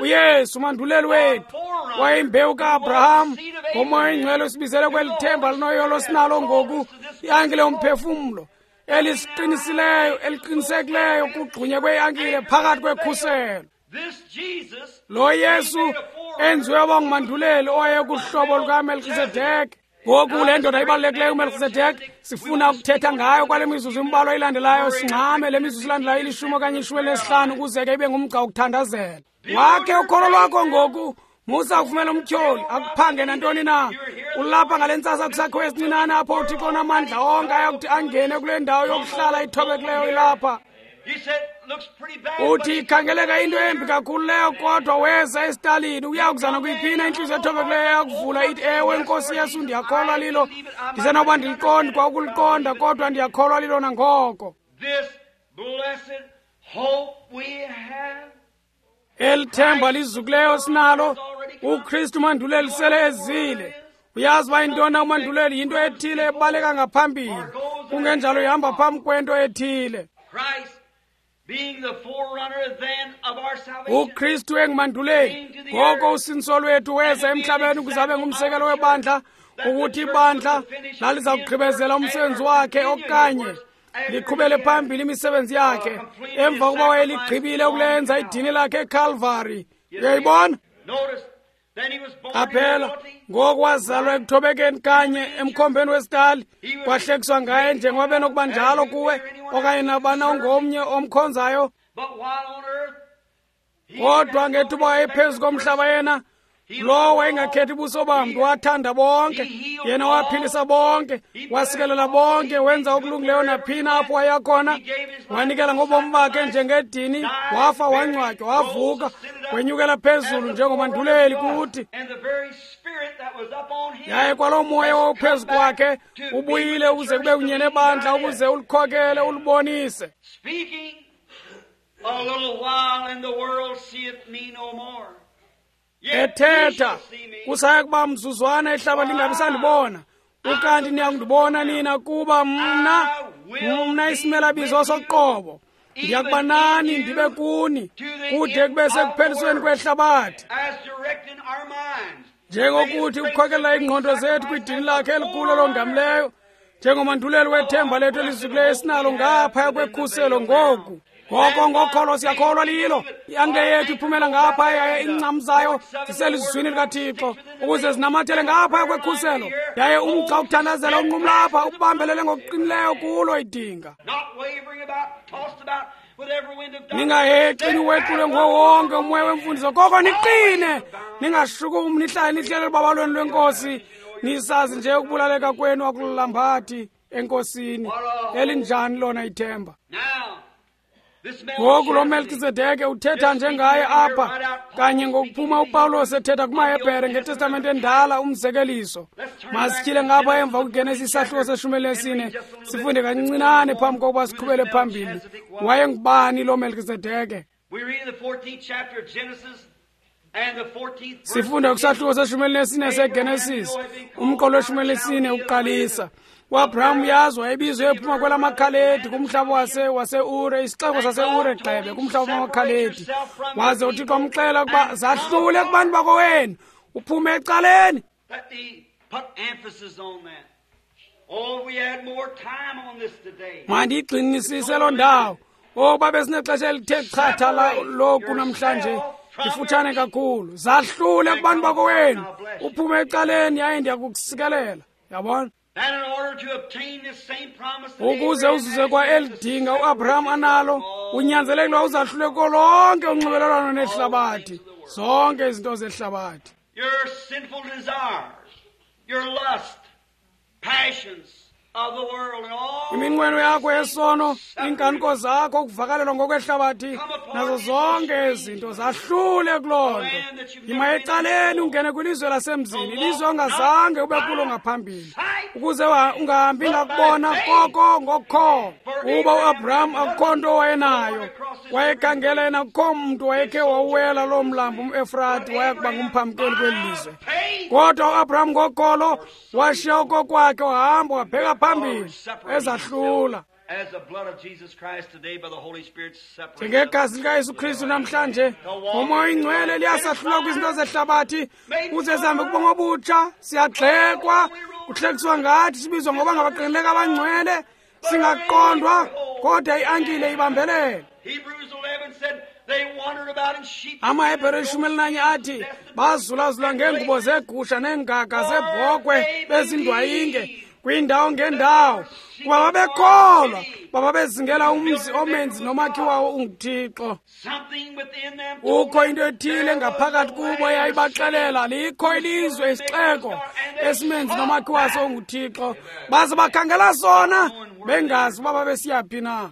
[SPEAKER 1] uYesu umanduleli wethu wayeyimbewu kaAbraham, ngoMoya oyiNgcwele usibizele kweli themba linoyolo sinalo ngoku, i-ankile yomphefumlo elisiqinisileyo, eliqinisekileyo kugxunyekwe kweankile phakathi kwekhuselo. Lo Yesu enziwe waba ngumanduleli owayekuhlobo lukaMelkisedeke. Ngoku le ndoda ibalulekileyo uMelkisedeke sifuna ukuthetha ngayo kwale mizuzu imbalwa ilandelayo. Singxame le mizuzu ilandelayo ilishumi okanye ishumi elinesihlanu ukuze ke ibe ngumgca wokuthandazela. Wakhe ukholo lwakho ngoku, Musa ukuvumela umtyholi akuphange nantoni na. Ulapha ngale ntsasa kwisakhiwo esincinane apho uThixo onamandla onke ayakuthi angene kule ndawo yokuhlala ithobekileyo ilapha. Uthi ikhangeleka into embi kakhulu leyo, kodwa weza esitalini uyakuzana kuyiphina intliziyo ethobekileyo eyakuvula ithi, ewe Nkosi Yesu, ndiyakholwa lilo. Ndisenokuba ndiliqondi kwa ukuliqonda, kodwa ndiyakholwa lilo nangoko. Eli themba lizukileyo sinalo, uKristu manduleli sele ezile. Uyazi uba yintoni umanduleli? Yinto ethile ebaleka ngaphambili, kungenjalo ihamba phambi kwento ethile. uKristu engumanduleli, ngoko usindiso lwethu weza emhlabeni ukuze abe ngumsekelo webandla, ukuthi ibandla laliza kugqibezela umsebenzi wakhe okanye liqhubele phambili imisebenzi yakhe emva kokuba wayeligqibile ukulenza idini lakhe eCalvary. Uyayibona? Qaphela, ngoku wazalwa ekuthobekeni kanye emkhombeni wesitali, kwahlekiswa ngaye njengoba benokuba njalo kuwe okanye nabana ongomnye omkhonzayo. Kodwa ngethuba wayephezu komhlaba yena, lowo wayengakhethi ubuso bamntu, wathanda bonke, yena waphilisa bonke, wasikelela bonke, wenza okulungileyo naphina apho wayekhona, wanikela ngobomi bakhe njengedini, wafa, wangcwatywa, wavuka, wenyukela phezulu njengomanduleli kuthi. Yaye kwaloo moya wawuphezu kwakhe ubuyile ukuze kube kunye nebandla, ukuze ulikhokele, ulibonise. Ethetha, kusaya kuba mzuzwana ihlaba lingabi sandibona, ukanti niyakundibona nina, kuba mna mna isimelabizo soqobo ndiyakuba nani ndibe kuni kude kube sekuphelisweni kwehlabathi. Njengokuthi ukhokela iingqondo zethu kwidini lakhe elikhulu elongamileyo, njengomanduleli wethemba lethu elizukileyo esinalo ngaphaya kwekhuselo ngoku. Ngoko ngokholo siyakholwa lilo. Iangle yethu iphumela ngapha yaye iincam zayo ziselizwini likaThixo ukuze zinamathele ngaphaya kwekhuselo. Yaye umgca ukuthandazela unqumla apha ubambelele ngokuqinileyo kulo idinga. Ningahexi niwequle nguwo wonke umoya wemfundiso, koko niqine, ningashukumi, nihlale nihlele elubabalweni lweNkosi, nisazi nje ukubulaleka kwenu akululambathi eNkosini. Elinjani lona ithemba! Ngoku lo Melkizedeke uthetha njengaye apha kanye ngokuphuma uPawulos ethetha kumaHebhere ngeTestamente endala umzekeliso. Masityhile ngapha emva kwiGenesis isahluko seshumi elinesine, sifunde kancinane phambi kokuba siqhubele phambili. Wayengubani lo Melkizedeke? Sifunda kwisahluko seshumi elinesine seGenesis, umqolo weshumi elinesine uqalisa. uAbraham uyazi wayebizwe ephuma kwelamaKhaledi kumhlaba wase waseUre, isixeko saseUre gxebe kumhlaba wamaKhaledi. Waze uThixo wamxelela ukuba zahlule kubantu bakowenu, uphume ecaleni. Mandiyigxinisise loo ndawo. Oh, babe sinexesha elithe chatha loku namhlanje, lifutshane kakhulu. Zahlule kubantu bakowenu, uphume ecaleni, yaye ndiyakukusikelela. Yabona? Ukuze uzuze kwa elidinga uAbraham analo, unyanzelekile uzahlule kulo lonke unxibelelwano nehlabathi, zonke izinto zehlabathi.
[SPEAKER 2] Your sinful desires, your lust, passions of the world, and all
[SPEAKER 1] iminqweno yakho yesono, iinkanuko zakho, ukuvakalelwa ngokwehlabathi, nazo zonke izinto zahlule kuloo nto. Yima ecaleni ungene kwilizwe lasemzini, ilizwe ongazange ube kulo ngaphambili, ukuze ungahambi ngakubona koko ngokukholwa. Uba uAbraham akukho nto wayenayo, wayekhangela yena, akukho mntu wayekhe wawuwela loo mlambo umEfrati waya kuba ngumphamkeli kweli lizwe. Kodwa uAbraham ngokholo washiya okokwakhe, wahamba wabheka phambili ezahlula. Njengegazi likaYesu Kristu namhlanje ngoMoya oyiNgcwele liyasahlula kwizinto zehlabathi ukuze sihambe kubomi obutsha. Siyagxekwa, kuhlekiswa ngathi, sibizwa ngoba ngabaqinileka abangcwele, singaqondwa, kodwa i-ankile ibambelele. AmaHebhere ishumi elinanye athi bazulazula ngeengubo zegusha neengaga zebhokhwe bezindwayinge, kwiindawo ngeendawo, kuba babekholwa, bababezingela umzi omenzi nomakhi wawo unguThixo. Kukho into ethile ngaphakathi kubo eyayibaxelela likho ilizwe, isixeko esimenzi nomakhi waso unguThixo. Baze bakhangela sona bengazi uba babesiyaphi na.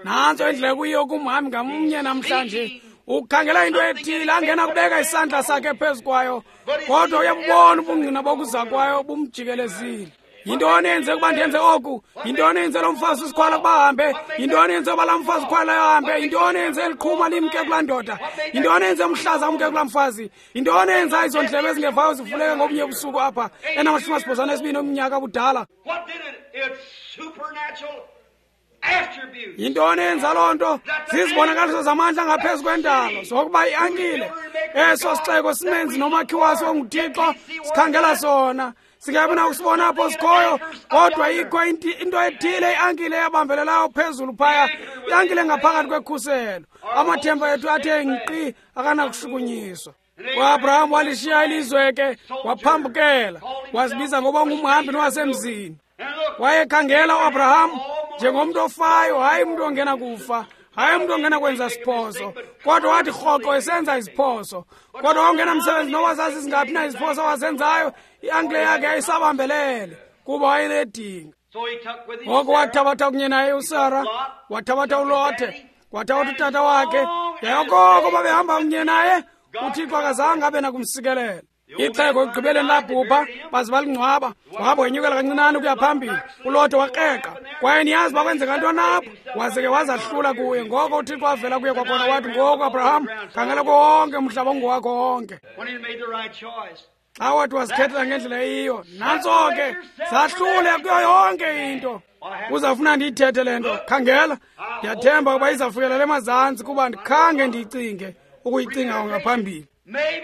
[SPEAKER 1] Nantso indlela kuyiyo kumhambi ngamnye namhlanje, ukhangela into ethile angena kubeka isandla sakhe phezu kwayo, kodwa uyabubona ubungqina bokuza kwayo bumjikelezile. Yintoni eyenze ukuba ndenze oku? Yintoni eyenze lo mfazi usikhwala ukuba ahambe? Yintoni eyenze uba laa mfazi ukhwalayo ahambe? Yintoni eyenze eliqhuma limke kulaa ndoda? Yintoni eyenze umhlaza umke kulaa mfazi? Yintoni eyenza izo ndlebe ezingevayo zivuleke ngobunye ubusuku apha enamashumi asibhozo anesibini omnyaka budala? Yintoni eyenza loo nto? Zizibonakaliso zamandla ngaphezu kwendalo zokuba i-ankile eso sixeko simenzi nomakhi waso onguThixo sikhangela sona. Singabi nakusibona apho sikhoyo, kodwa ikho into ethile i-ankile eyabambelelayo phezulu phaya, i-ankile ngaphakathi kwekhuselo. Amathemba ethu athe nkqi akanakushukunyiswa. UAbraham walishiya ilizwe ke, waphambukela, wazibiza ngoba ngumhambi nowasemzini. Wayekhangela uAbraham njengomntu ofayo, hayi umntu ongena kufa, hayi umntu ongena kwenza siphoso, kodwa wathi rhoqo esenza iziphoso. Kodwa wawungena msebenzi noba zazizingaphi na iziphoso awazenzayo, i-ankile yakhe yayisabambelele kuba wayenedinga. Ngoko wathabatha kunye naye uSara, wathabatha uLothe, wathabatha utata wakhe, yaye okoko babehamba kunye naye, uThixo akazange abe nakumsikelela. Ixhego ekugqibeleni labhubha, baze balingcwaba. Wahamba wenyukela kancinane ukuya phambili, uLothe wakreqa. Kwaye niyazi uba kwenzeka ntoni apho? Waze ke wazahlula kuye. Ngoko uThixo wavela kuye kwakhona wathi, ngoku Abraham, khangela konke umhlaba ungowakho wonke. Xa wathi wazikhethela ngendlela eyiyo, nantso ke, zahlule kuyo yonke into. Uzawufuna ndiyithethe le nto. Khangela, ndiyathemba ukuba izawufikelela emazantsi kuba ndikhange ndiyicinge ukuyicinga ngaphambili.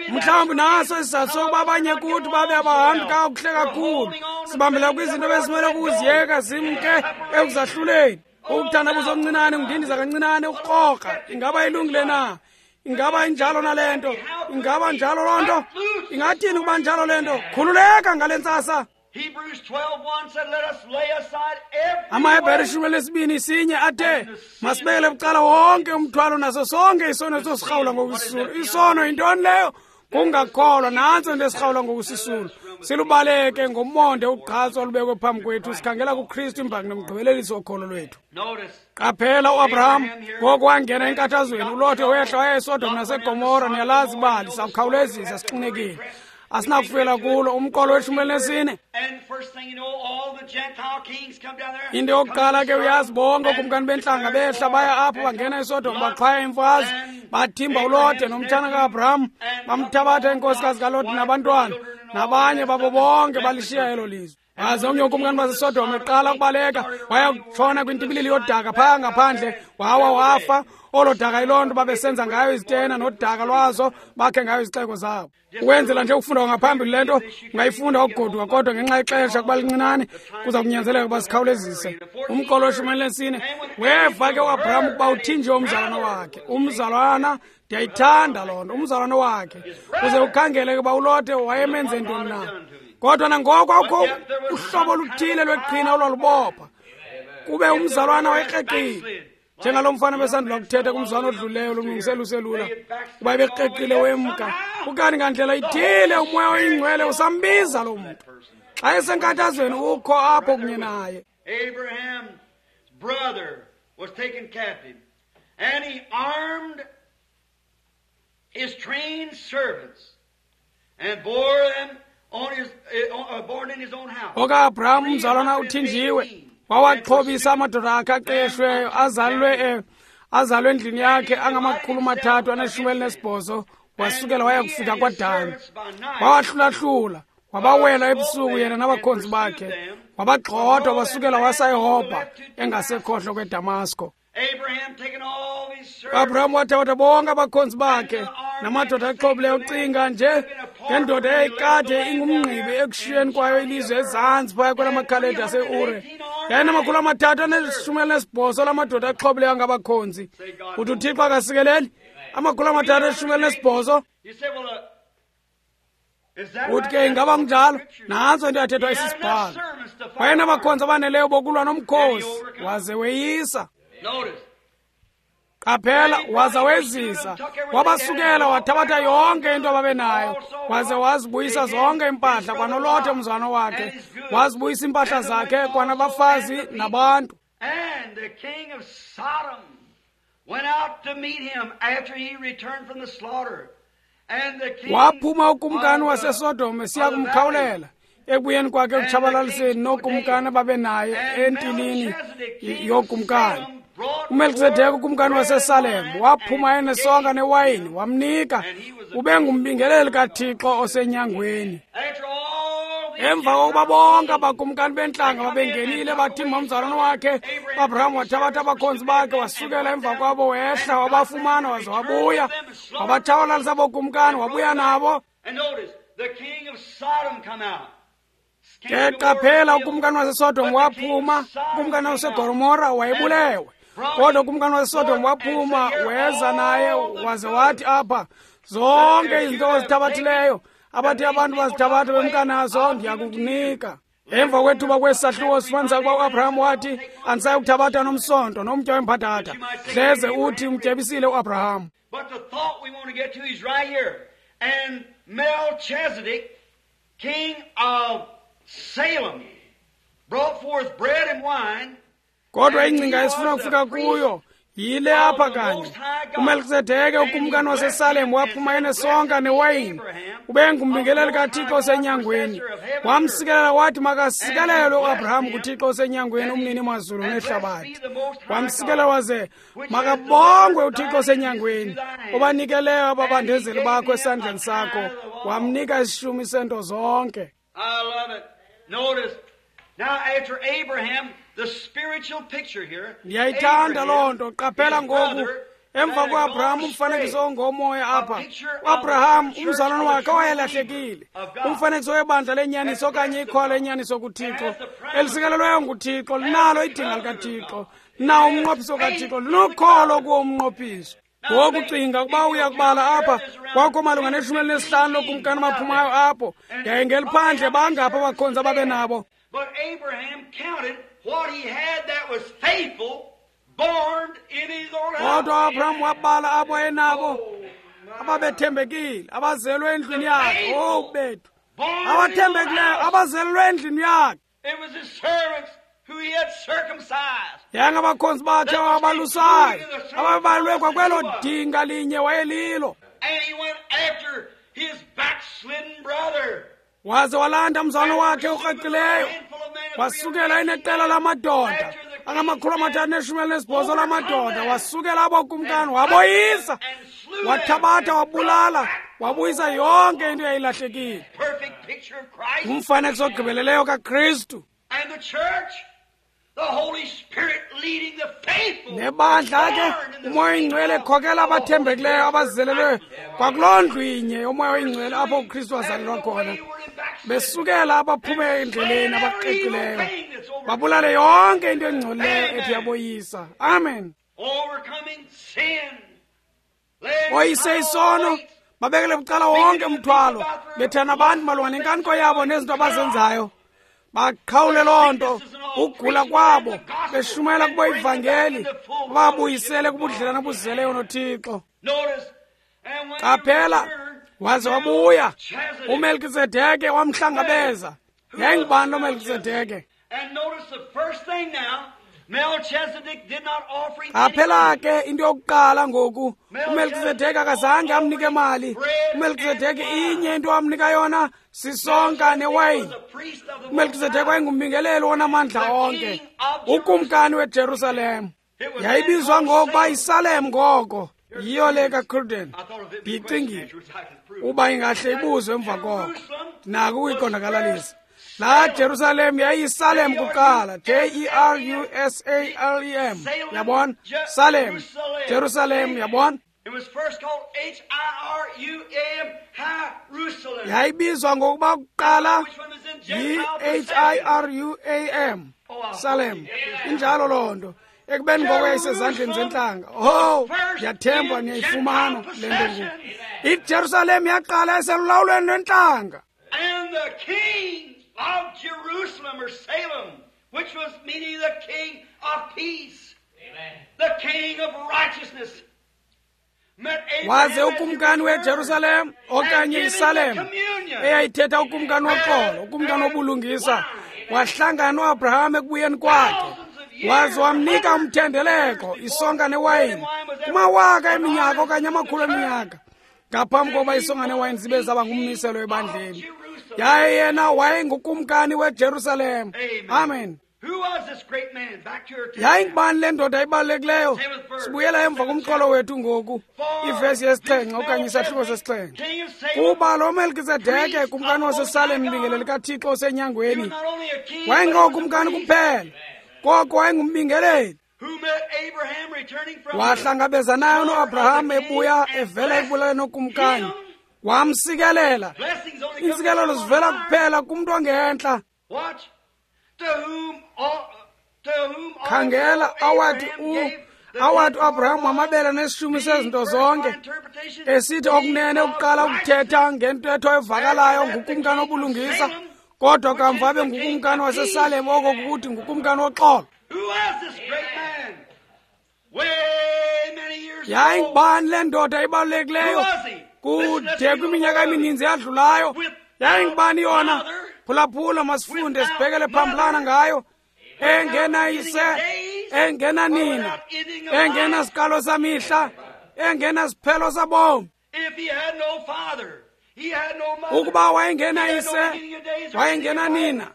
[SPEAKER 1] Mhlawumbi naso isizathu sokuba abanye kuthi babe abahambi kakuhle kakhulu, sibambela kwizinto ebesimele ukuziyeka zimke ekuzahluleni. Ukuthandabuza omncinane, ngundindiza kancinane, ukukrokra. Ingaba ilungile na? Ingaba injalo na le nto? Ingaba njalo loo nto? Ingathini ukuba njalo le nto? Khululeka ngale ntsasa. AmaHebhere ishumi elesibini sinye athe masibekele bucala wonke umthwalo naso sonke isono esosirhawula ngokusisulu. Isono yintoni leyo? Kungakholwa. Nantso into esirhawula ngokusisulu. Silubaleke ngomonde ugqatso olubekwe phambi kwethu, sikhangela kuKristu imbangi nomgqibelelisi wokholo lwethu. Qaphela uAbraham ngoku wangena enkathazweni. uLothe wehla waya eSodom naseGomora. Niyalazi ibali, sawukhawulezisa sixinekile, asinakufika kulo. Umqolo weshumi elinesine. Into yokuqala ke uyazi bonke ookumkani bentlanga behla baya apho, bangena eSodom, baxhwaya imfazwe, bathimba uLothe nomtshana kaAbraham, bamthabatha inkosikazi kaLothe nabantwana nabanye babo bonke, balishiya elo lizwe. Waze omnye ukumkani baseSodom eqala ukubaleka, waya kutshona kwintibilili yodaka phaya ngaphandle, wawa wafa. Olo daka yiloo nto babesenza ngayo izitena nodaka lwazo, bakhe ngayo izixeko zabo. Ukwenzela nje ukufunda ngaphambili le nto, ungayifunda ukugoduka, kodwa ngenxa yexesha kuba lincinane kuza kunyanzeleka ukuba sikhawulezise. Umqolo weshumi elinesine, weva ke uAbraham ukuba uthinjiwe umzalwana wakhe. Umzalwana, ndiyayithanda loo nto, umzalwana wakhe. Uze ukhangele ke uba uLothe wayemenze ntoni na. Kodwa nangoko akukho uhlobo oluthile lweqhina olwalubopha, kube umzalwana wayekreqile. Njengalo mfana besandula kuthetha kumzwana odluleyo lumlungisela uselula, kuba ebekreqile wemka. Ukanti ngandlela ithile umoya oyingcwele usambiza lo mntu. Xa esenkathazweni ukho apho kunye naye.
[SPEAKER 2] Abraham's brother was taken captive, and he armed his trained servants and bore them on his, uh, born in his own house.
[SPEAKER 1] OkaAbraham umzalwana uthinjiwe, wawaxhobisa amadoda akhe aqeshweyo azalwe azalwe endlini yakhe angamakhulu amathathu aneshumi elinesibhozo, wasukela waya kufika kwaDani. Wawahlulahlula, wabawela ebusuku yena nabakhonzi bakhe, wabagxotha wasukela wasa eHobha engasekhohlo kweDamasko. Abraham wathatha bonke abakhonzi bakhe namadoda axhobileyo. Ucinga nje ngendoda eyayikade ingumngqibi ekushiyeni kwayo ilizwe ezantsi phaya kwelamakhaledi aseUre. Yayinamakhulu amathathu aneshumi elinesibhozo lamadoda axhobileyo angabakhonzi. Uthi uThixo akasikeleli amakhulu amathathu aneshumi elinesibhozo. Uthi ke ingaba kunjalo? Nantso into yathethwa isisibhalo. Wayenabakhonzi abaneleyo bokulwa nomkhosi, waze weyisa. Qaphela, waza wezisa, wabasukela wathabatha yonke into ababenayo, waze wazibuyisa zonke iimpahla kwanolothe umzwana wakhe, wazibuyisa iimpahla zakhe kwanabafazi nabantu.
[SPEAKER 2] And the king of Sodom went out to meet him after he returned from the slaughter. And the king
[SPEAKER 1] Waphuma ukumkani waseSodom esiya kumkhawulela ekubuyeni kwakhe ekutshabalaliseni nookumkani ababenaye entilini yokumkani. uMelkisedeke ukumkani waseSalem waphuma enesonka newayini wamnika, ube ngumbingeleli kaThixo osenyangweni. Emva kokuba bonke abakumkani bentlanga babengenile bathimba umzalwane wakhe, uAbraham wathabatha abakhonzi bakhe wasukela emva kwabo wehla wabafumana waze wabuya wabatshabalalisa bokumkani wabuya nabo. Ke qaphela, ukumkani waseSodom waphuma, ukumkani waseGomora wayebulewe. Kodwa ukumkani waseSodom waphuma weza naye waze wathi apha, zonke izinto ozithabathileyo abathi abantu bazithabatha bemka nazo ndiyakukunika. Emva kwethuba kwesi sahluko sifumanisa ukuba uAbraham wathi, andisayi kuthabatha nomsonto nomtya wembhatata, hleze uthi umtyebisile uAbraham.
[SPEAKER 2] But the thought we want to get to is right here. And Melchizedek, king of Salem, brought forth bread and wine.
[SPEAKER 1] Kodwa ingcinga esifuna ukufika kuyo yile apha kanye. uMelkisedeke ukumkani waseSalem waphuma enesonka newayini, ube ngumbingeleli kaThixo osenyangweni. Wamsikelela wathi makasikelelwe uAbraham kuThixo osenyangweni, umnini mazulu nehlabathi. Wamsikelela waze makabongwe uThixo osenyangweni obanikeleyo ababandezeli bakho esandleni sakho, wamnika isishumi sento zonke.
[SPEAKER 2] I love it. Notice, now after Abraham, the spiritual picture here.
[SPEAKER 1] Ndiyayithanda loo nto. Qaphela ngoku, emva kuAbraham umfanekiso ongomoya apha. uAbraham umzalwane wakhe owayelahlekile, umfanekiso webandla lenyaniso okanye ikhola lenyaniso kuThixo, elisikelelweyo nguThixo, linalo idinga likaThixo, linawo umnqophiso kaThixo, linokholo kuwo umnqophiso. Ngoku cinga ukuba uya kubala apha, kwakho malunga neshumi elinesihlanu lokumkani abaphumayo apho, yaye ngeliphandle bangaphi abakhonzi ababe nabo.
[SPEAKER 2] But Abraham counted what he had that was faithful, born in his own house.
[SPEAKER 1] Kodwa Abraham wabala abo ayenabo ababethembekile, abazelwe endlwini yakhe. Oh bethu, abathembekileyo abazelwe endlwini yakhe.
[SPEAKER 2] It was his servants who he had circumcised.
[SPEAKER 1] Yangabakhonzi bakhe abalusayo, ababalwe kwakwelo dinga linye wayelilo.
[SPEAKER 2] And he went after his backslidden brother.
[SPEAKER 1] Waze walanda umzalwane wakhe okreqileyo, wasukela eneqela lamadoda angamakhulu amathathu neshumi elinesibhozo lamadoda, wasukela abo kumkani waboyisa, wathabatha wabulala, wabuyisa yonke into eyayilahlekile. Umfanekiso ogqibeleleyo kaKristu.
[SPEAKER 2] And the church, the Holy Spirit leading the faithful.
[SPEAKER 1] Nebandla ke uMoya oyiNgcwele ekhokela abathembekileyo abazelelwe kwakuloo ndlu inye yoMoya oyiNgcwele apho uKristu wazalelwa khona, besukela abaphume endleleni abaqiqileyo, babulale yonke into engcolileyo ethi yaboyisa. Amen.
[SPEAKER 2] Overcoming sin.
[SPEAKER 1] Oyise isono, babekele bucala wonke umthwalo, bethana abantu malunga nenkaniko yabo nezinto abazenzayo. Baqhawule loo nto, ukugula kwabo, beshumayela kubo ivangeli, babuyisele kubudlelane obuzeleyo noThixo. Qaphela, waze wabuya uMelkisedeke wamhlangabeza. Yayingubani lo Melkisedeke? Qaphela ke into yokuqala ngoku, uMelkisedeke akazange amnike mali. uMelkisedeke inye into amnika yona sisonka newayini. uMelkisedeke wayengumbingeleli onamandla onke, ukumkani weJerusalem. Yayibizwa ngokuba yiSalem ngoko, yiyo le kaCruden. Ndiyicingile uba ingahle ibuzwe emva koko, ndinako ukuyiqondakalalisa. La Jerusalem yayiyisalem kuqala, J E R U S A L E M, yabona? Salem, Jerusalem, yabona? Yayibizwa ngokuba kuqala yi H I R U A M, Salem. Injalo loo nto. Ekubeni ngoko yayisezandleni zentlanga. Oh, ndiyathemba niyayifumana le nto ngoku. IJerusalem yaqala eselulawulweni lwentlanga.
[SPEAKER 2] And the king of Jerusalem or Salem, which was meaning the king of peace, Amen. The king of righteousness,
[SPEAKER 1] waze ukumkani weJerusalem okanye iSalem eyayithetha ukumkani woxolo, ukumkani wobulungisa, wahlangana noAbraham ekubuyeni kwakhe, waze wamnika umthendeleko, isonka newayini, kumawaka eminyaka okanye amakhulu eminyaka ngaphambi kokuba isonka newayini zibe zaba ngummiselo ebandleni. Yaye yena wayengukumkani weJerusalem. Amen. Yayingubani le ndoda ibalulekileyo? Sibuyela emva kumxholo wethu ngoku, ivesi yesixhenxe okanye isahluko sesixhenxe. Kuba lo Melkizedeke, kumkani waseSalem, mbingeleli kaThixo osenyangweni, wayengokumkani kuphela, koko wayengumbingeleli. Wahlangabezanayo noAbraham ebuya evela ekubulaleni okumkani, wamsikelela. Iintsikelelo zivela kuphela kumntu ongentla. Khangela awathi u awathi uAbraham wamabela nesishumi sezinto zonke, esithi okunene ukuqala ukuthetha ngentetho evakalayo ngukumkani obulungisa, kodwa kamva abe ngukumkani waseSalem, oko kukuthi ngukumkani woxolo. Yayingubani le ndoda ibalulekileyo? Kude kwiminyaka emininzi yadlulayo, yayingubani yona? Phulaphula, masifunde sibhekele phambilana ngayo. Engenayise, engenanina, engenasiqalo samihla, engenasiphelo sabomi. Ukuba wayengenayise, wayengenanina,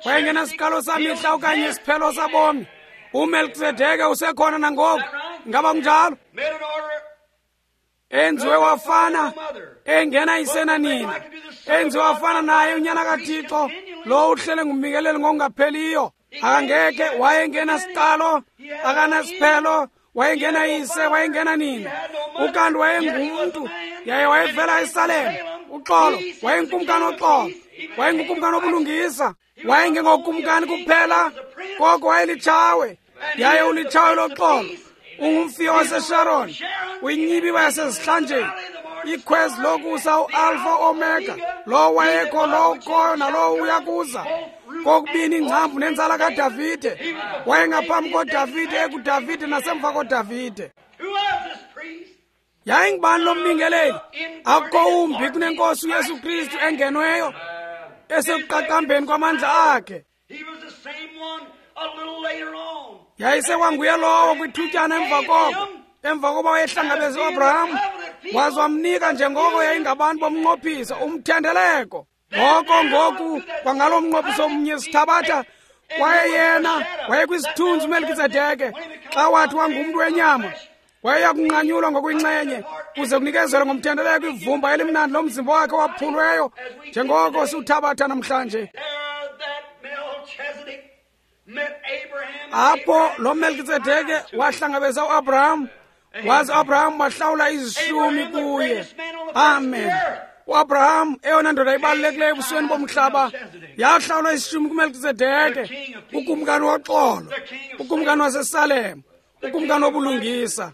[SPEAKER 1] wayengenasiqalo samihla okanye isiphelo sabomi, uMelkizedeke usekhona nangoku. Ngaba kunjalo? Enziwe wafana, engenayise nanina, enziwe wafana naye unyana kaThixo lo uhlele ngumbikeleli ngokungapheliyo. Akangeke, wayengenasiqalo, akanasiphelo, wayengenayise, wayengenanina, ukanti wayengumntu, yaye wayevela eSalem. Uxolo, wayengukumkani woxolo, wayengukumkani wobulungisa, wayengengokumkani kuphela, koko wayelitshawe, yaye ulitshawe loxolo. Ungumfiyo waseSharon, uyinyibiba yasezihlanjeni, ikhwezi lokusa, uAlpha Omega, lo wayekho, lo ukhoyo, nalowo uyakuza, kokubini ingcambu nenzala kaDavide. Wayengaphambi koDavide, ekuDavide nasemva koDavide. Yayingubani lo mbingeleli? Akukho umbi kunenkosi uYesu Kristu engenweyo esekuqaqambeni kwamandla akhe. Yayisekwanguye lowo kwithutyana emva koko, emva koba wayehlangabeze uAbraham, waze wamnika njengoko yayingabantu bomnqophiso umthendeleko. Ngoko ngoku kwangalo mnqophiso omnye sithabatha, kwaye yena wayekwisithunzi uMelkizedeke xa wathi wangumntu wenyama, wayeya kunqanyulwa ngokuyinxenye kuze kunikezelwe ngomthendeleko ivumba elimnandi lomzimba wakhe owaphulweyo, njengoko siwuthabatha namhlanje. Apho lo Melkizedeke wahlangabeza uAbraham, waze uAbraham wahlawula izishumi kuye. Amen. uAbraham, eyona ndoda ibalulekileyo ebusweni bomhlaba, yahlawula isishumi kuMelkizedeke, ukumkani woxolo, ukumkani waseSalem, ukumkani wobulungisa.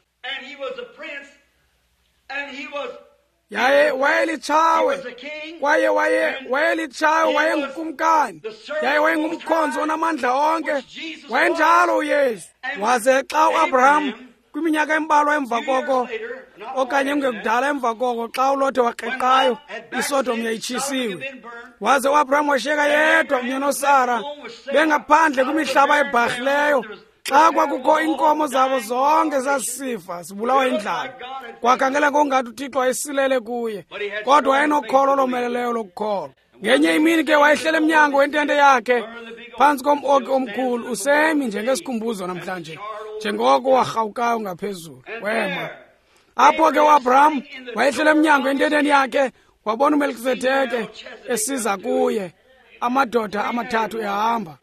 [SPEAKER 1] Yaye wayelitshawe, kwaye waye wayelitshawe, wayengukumkani, yaye wayengumkhonzi onamandla onke. Wayenjalo uYesu. Waze xa uAbraham kwiminyaka embalwa emva koko, okanye kungekudala emva koko, xa uLothe wakreqayo, iSodom yayitshisiwe, waze uAbraham washiyeka yedwa kunye noSara bengaphandle kwimihlaba ebharhileyo, xa kwakukho iinkomo zabo zonke zazisifa zibulawa indlala. Kwakhangela ngokungathi uThixo wayesilele kuye, kodwa wayenokholo olomeleleyo lokukholwa. Ngenye imini ke wayehlele emnyango wentente yakhe phantsi kom-oki omkhulu, usemi njengesikhumbuzo namhlanje, njengoko warhawukayo ngaphezulu, wema. Apho ke uAbraham wayehlele emnyango ententeni yakhe, wabona uMelkizedeke esiza kuye, amadoda amathathu ehamba.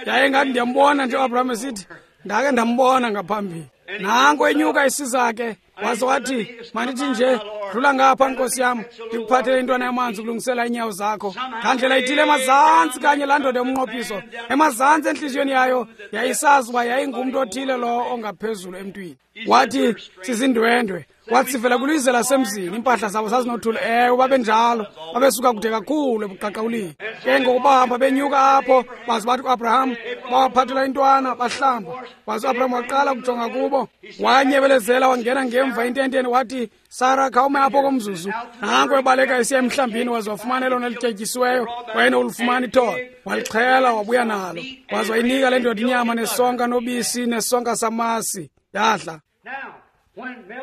[SPEAKER 1] Yaye ngathi ndiyambona nje uAbraham esithi, ndake ndambona ngaphambili. Nanko enyuka isiza ke, waze wathi, mandithi nje, dlula ngapha nkosi yam, ndikuphathele intwana yamanzi ukulungisela iinyawo zakho. Ngandlela ithile emazantsi kanye laa ndoda yomnqophiso, emazantsi entliziyweni yayo yayisazi uba yayingumntu othile lo ongaphezulu emntwini. Wathi, sizindwendwe. Wathi sivela kwilizwe lasemzini, iimpahla zabo zazinothuli. Ewe, babenjalo, babesuka kude kakhulu ebuqaqawulini. Ke ngoku bahamba benyuka apho, baze bathi kuAbraham, bawaphathela intwana, bahlamba. Waze uAbraham waqala ukujonga kubo, wanyebelezela, wangena ngemva ententeni, wathi, Sara, khawume apho komzuzu. Nanko ebaleka esiya emhlambini, waze wafumana elona lityetyisiweyo, wayenolufumana ithole. Walixhela, wabuya nalo. Waze wayinika le ndoda inyama nesonka nobisi nesonka samasi. Yadla.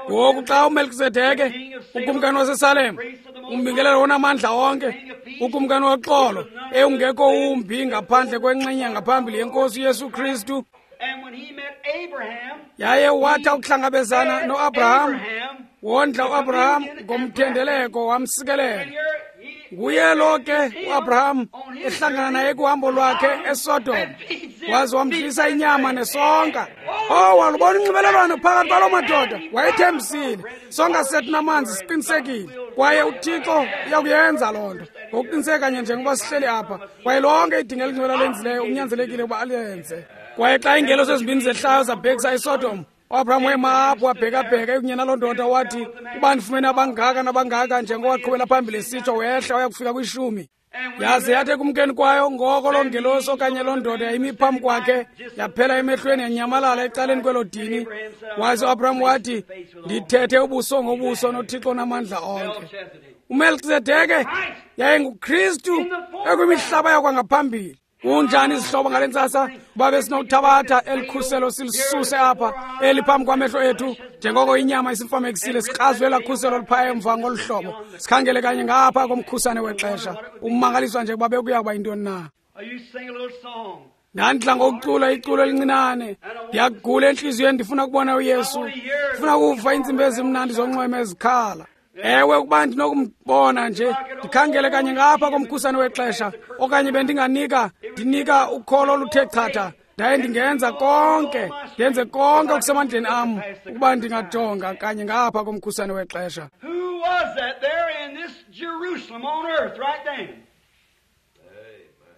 [SPEAKER 1] Ngoku xa uMelkizedeke, ukumkani waseSalem, umbingelelo onamandla onke, ukumkani woxolo, ewungekho umbi ngaphandle kwenxenye ngaphambili yenkosi uYesu Kristu, yaye wathi ukuhlangabezana noAbraham, wondla uAbraham ngomthendeleko, wamsikelela. Nguye lo ke uAbraham ehlangana naye kuhambo lwakhe eSodom, waze wamdlisa inyama nesonka. Oh, walubona unxibelelwano phakathi kwaloo madoda. Wayethembisile, sonka sethu namanzi siqinisekile, kwaye uThixo uyakuyenza loo nto ngokuqiniseka kanye njengoba sihleli apha. Kwaye lonke idinga elingcwele alenzileyo unyanzelekile ukuba alenze. Kwaye xa iingelosi ezimbini zehlayo zabhekisa eSodom, uAbraham wema apho wabhekabheka ekunye naloo ndoda, wathi, uba ndifumene abangaka nabangaka, njengoko waqhubela phambili esitsho, wehla waya kufika kwishumi. Yaze yathi ekumkeni kwayo, ngoko loo ngelosi okanye loo ndoda yayimi phambi kwakhe, yaphela emehlweni, yanyamalala ecaleni kwelo dini. Waze uAbraham wathi, ndithethe ubuso ngobuso noThixo namandla onke. UMelkizedeke yayinguKristu ekwimihlaba yakwangaphambili. Kunjani izihlobo ngale ntsasa, uba besinokuthabatha elikhuselo silisuse apha eliphambi kwamehlo ethu, njengoko inyama isimfamekisile, sikrazwe elaa khuselo liphaya emva ngolu hlobo, sikhangele kanye ngapha komkhusane wexesha. Ummangaliswa nje ukuba bekuya kuba yintoni na. Ndandidla ngokucula iculo elincinane, ndiyagula entliziyweni, ndifuna ukubona uYesu, ndifuna ukuva iintsimbi ezimnandi zonxweme ezikhala. Ewe, ukuba ndinokumbona nje, ndikhangele kanye ngapha komkhusane wexesha, okanye bendinganika, ndinika ukholo oluthe chatha, ndaye ndingenza konke, ndenze konke okusemandleni am, ukuba ndingajonga kanye ngapha komkhusane wexesha.
[SPEAKER 2] Who was that there in this Jerusalem on earth right then?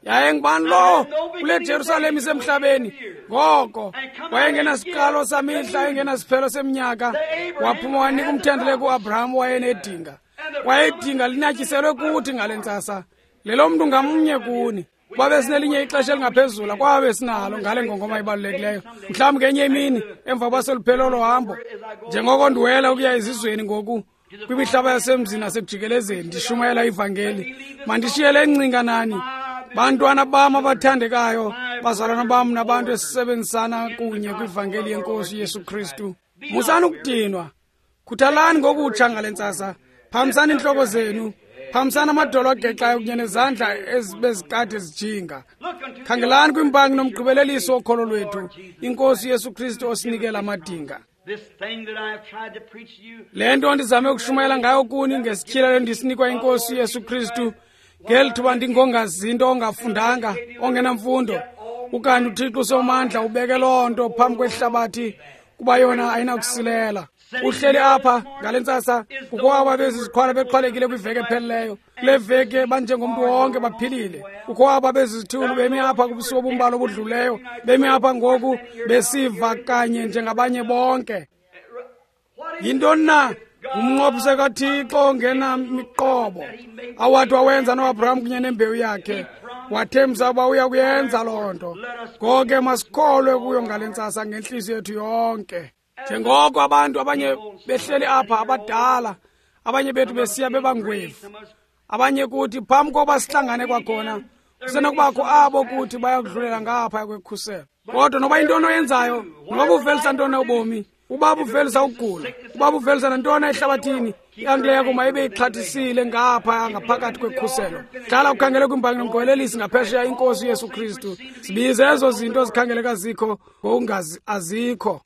[SPEAKER 1] Yaye ngubani lo kule Jerusalem isemhlabeni? Ngoko wayengenasiqalo samihla, engenasiphelo seminyaka, waphuma wanika umthendeleko uAbraham wayenedinga. Wayedinga linatyiselwe kuthi ngale ntsasa, lelo mntu ngamnye kuni. Kwabe sinelinye ixesha elingaphezulu, kwabe sinalo ngale ngongoma ibalulekileyo. Mhlawumbi ngenye imini emva kwaseluphelo olo hambo, njengoko ndiwela ukuya ezizweni ngoku, kwimihlaba yasemzini nasekujikelezeni, ndishumayela ivangeli. Mandishiye le ngcinga nani, bantwana bam abathandekayo, bazalwana bam nabantu esisebenzisana kunye kwivangeli yenkosi Yesu Kristu. Musani ukudinwa, khuthalani ngokutsha ngale ntsasa. Phamisani iintloko zenu, phamisani amadolo agexayo kunye nezandla ezibezikade zijinga. Khangelani kwimbangi nomgqibelelisi wokholo lwethu, inkosi Yesu Kristu osinikela amadinga. Le nto ndizame ukushumayela ngayo kuni ngesityhilelo ndisinikwa inkosi Yesu Kristu, ngeli thuba ndingongazinto, ongafundanga, ongenamfundo, ukanti uThixo usomandla ubeke loo nto phambi kwehlabathi, kuba yona ayinakusilela. Uhleli apha ngale ntsasa, kukho aba beziziqhwala bexhwalekile kwiveki ephelileyo. Kule veki banjengomntu wonke baphilile. Kukho aba bezizithulu bemi apha kubusuku obumbala obudluleyo, bemi apha ngoku besiva kanye njengabanye bonke. Yintoni na? Umnqophiso kaThixo ongenamiqobo awathi wawenza noAbraham kunye nembewu yakhe. Wathembisa uba uya kuyenza loo nto. Ngoko ke masikholwe kuyo ngale ntsasa ngentliziyo yethu yonke. Njengoko abantu abanye behleli apha abadala, abanye bethu besiya bebangwevu, abanye kuthi phambi kokuba sihlangane kwakhona, kusenokubakho abo kuthi bayakudlulela ngapha kwekhuselo. Kodwa noba yintoni oyenzayo, noba uvelisa ntoni ubomi, uba uvelisa ukugula, uba uvelisa nantoni ehlabathini, i-ankle yakho mayibe ixhathisile ngapha ngaphakathi kwekhuselo. Hlala ukhangele kwimbangi nomgqibelelisi ngaphesheya inkosi Yesu Kristu. Sibize ezo zinto zikhangeleka zikho ngokungazi azikho.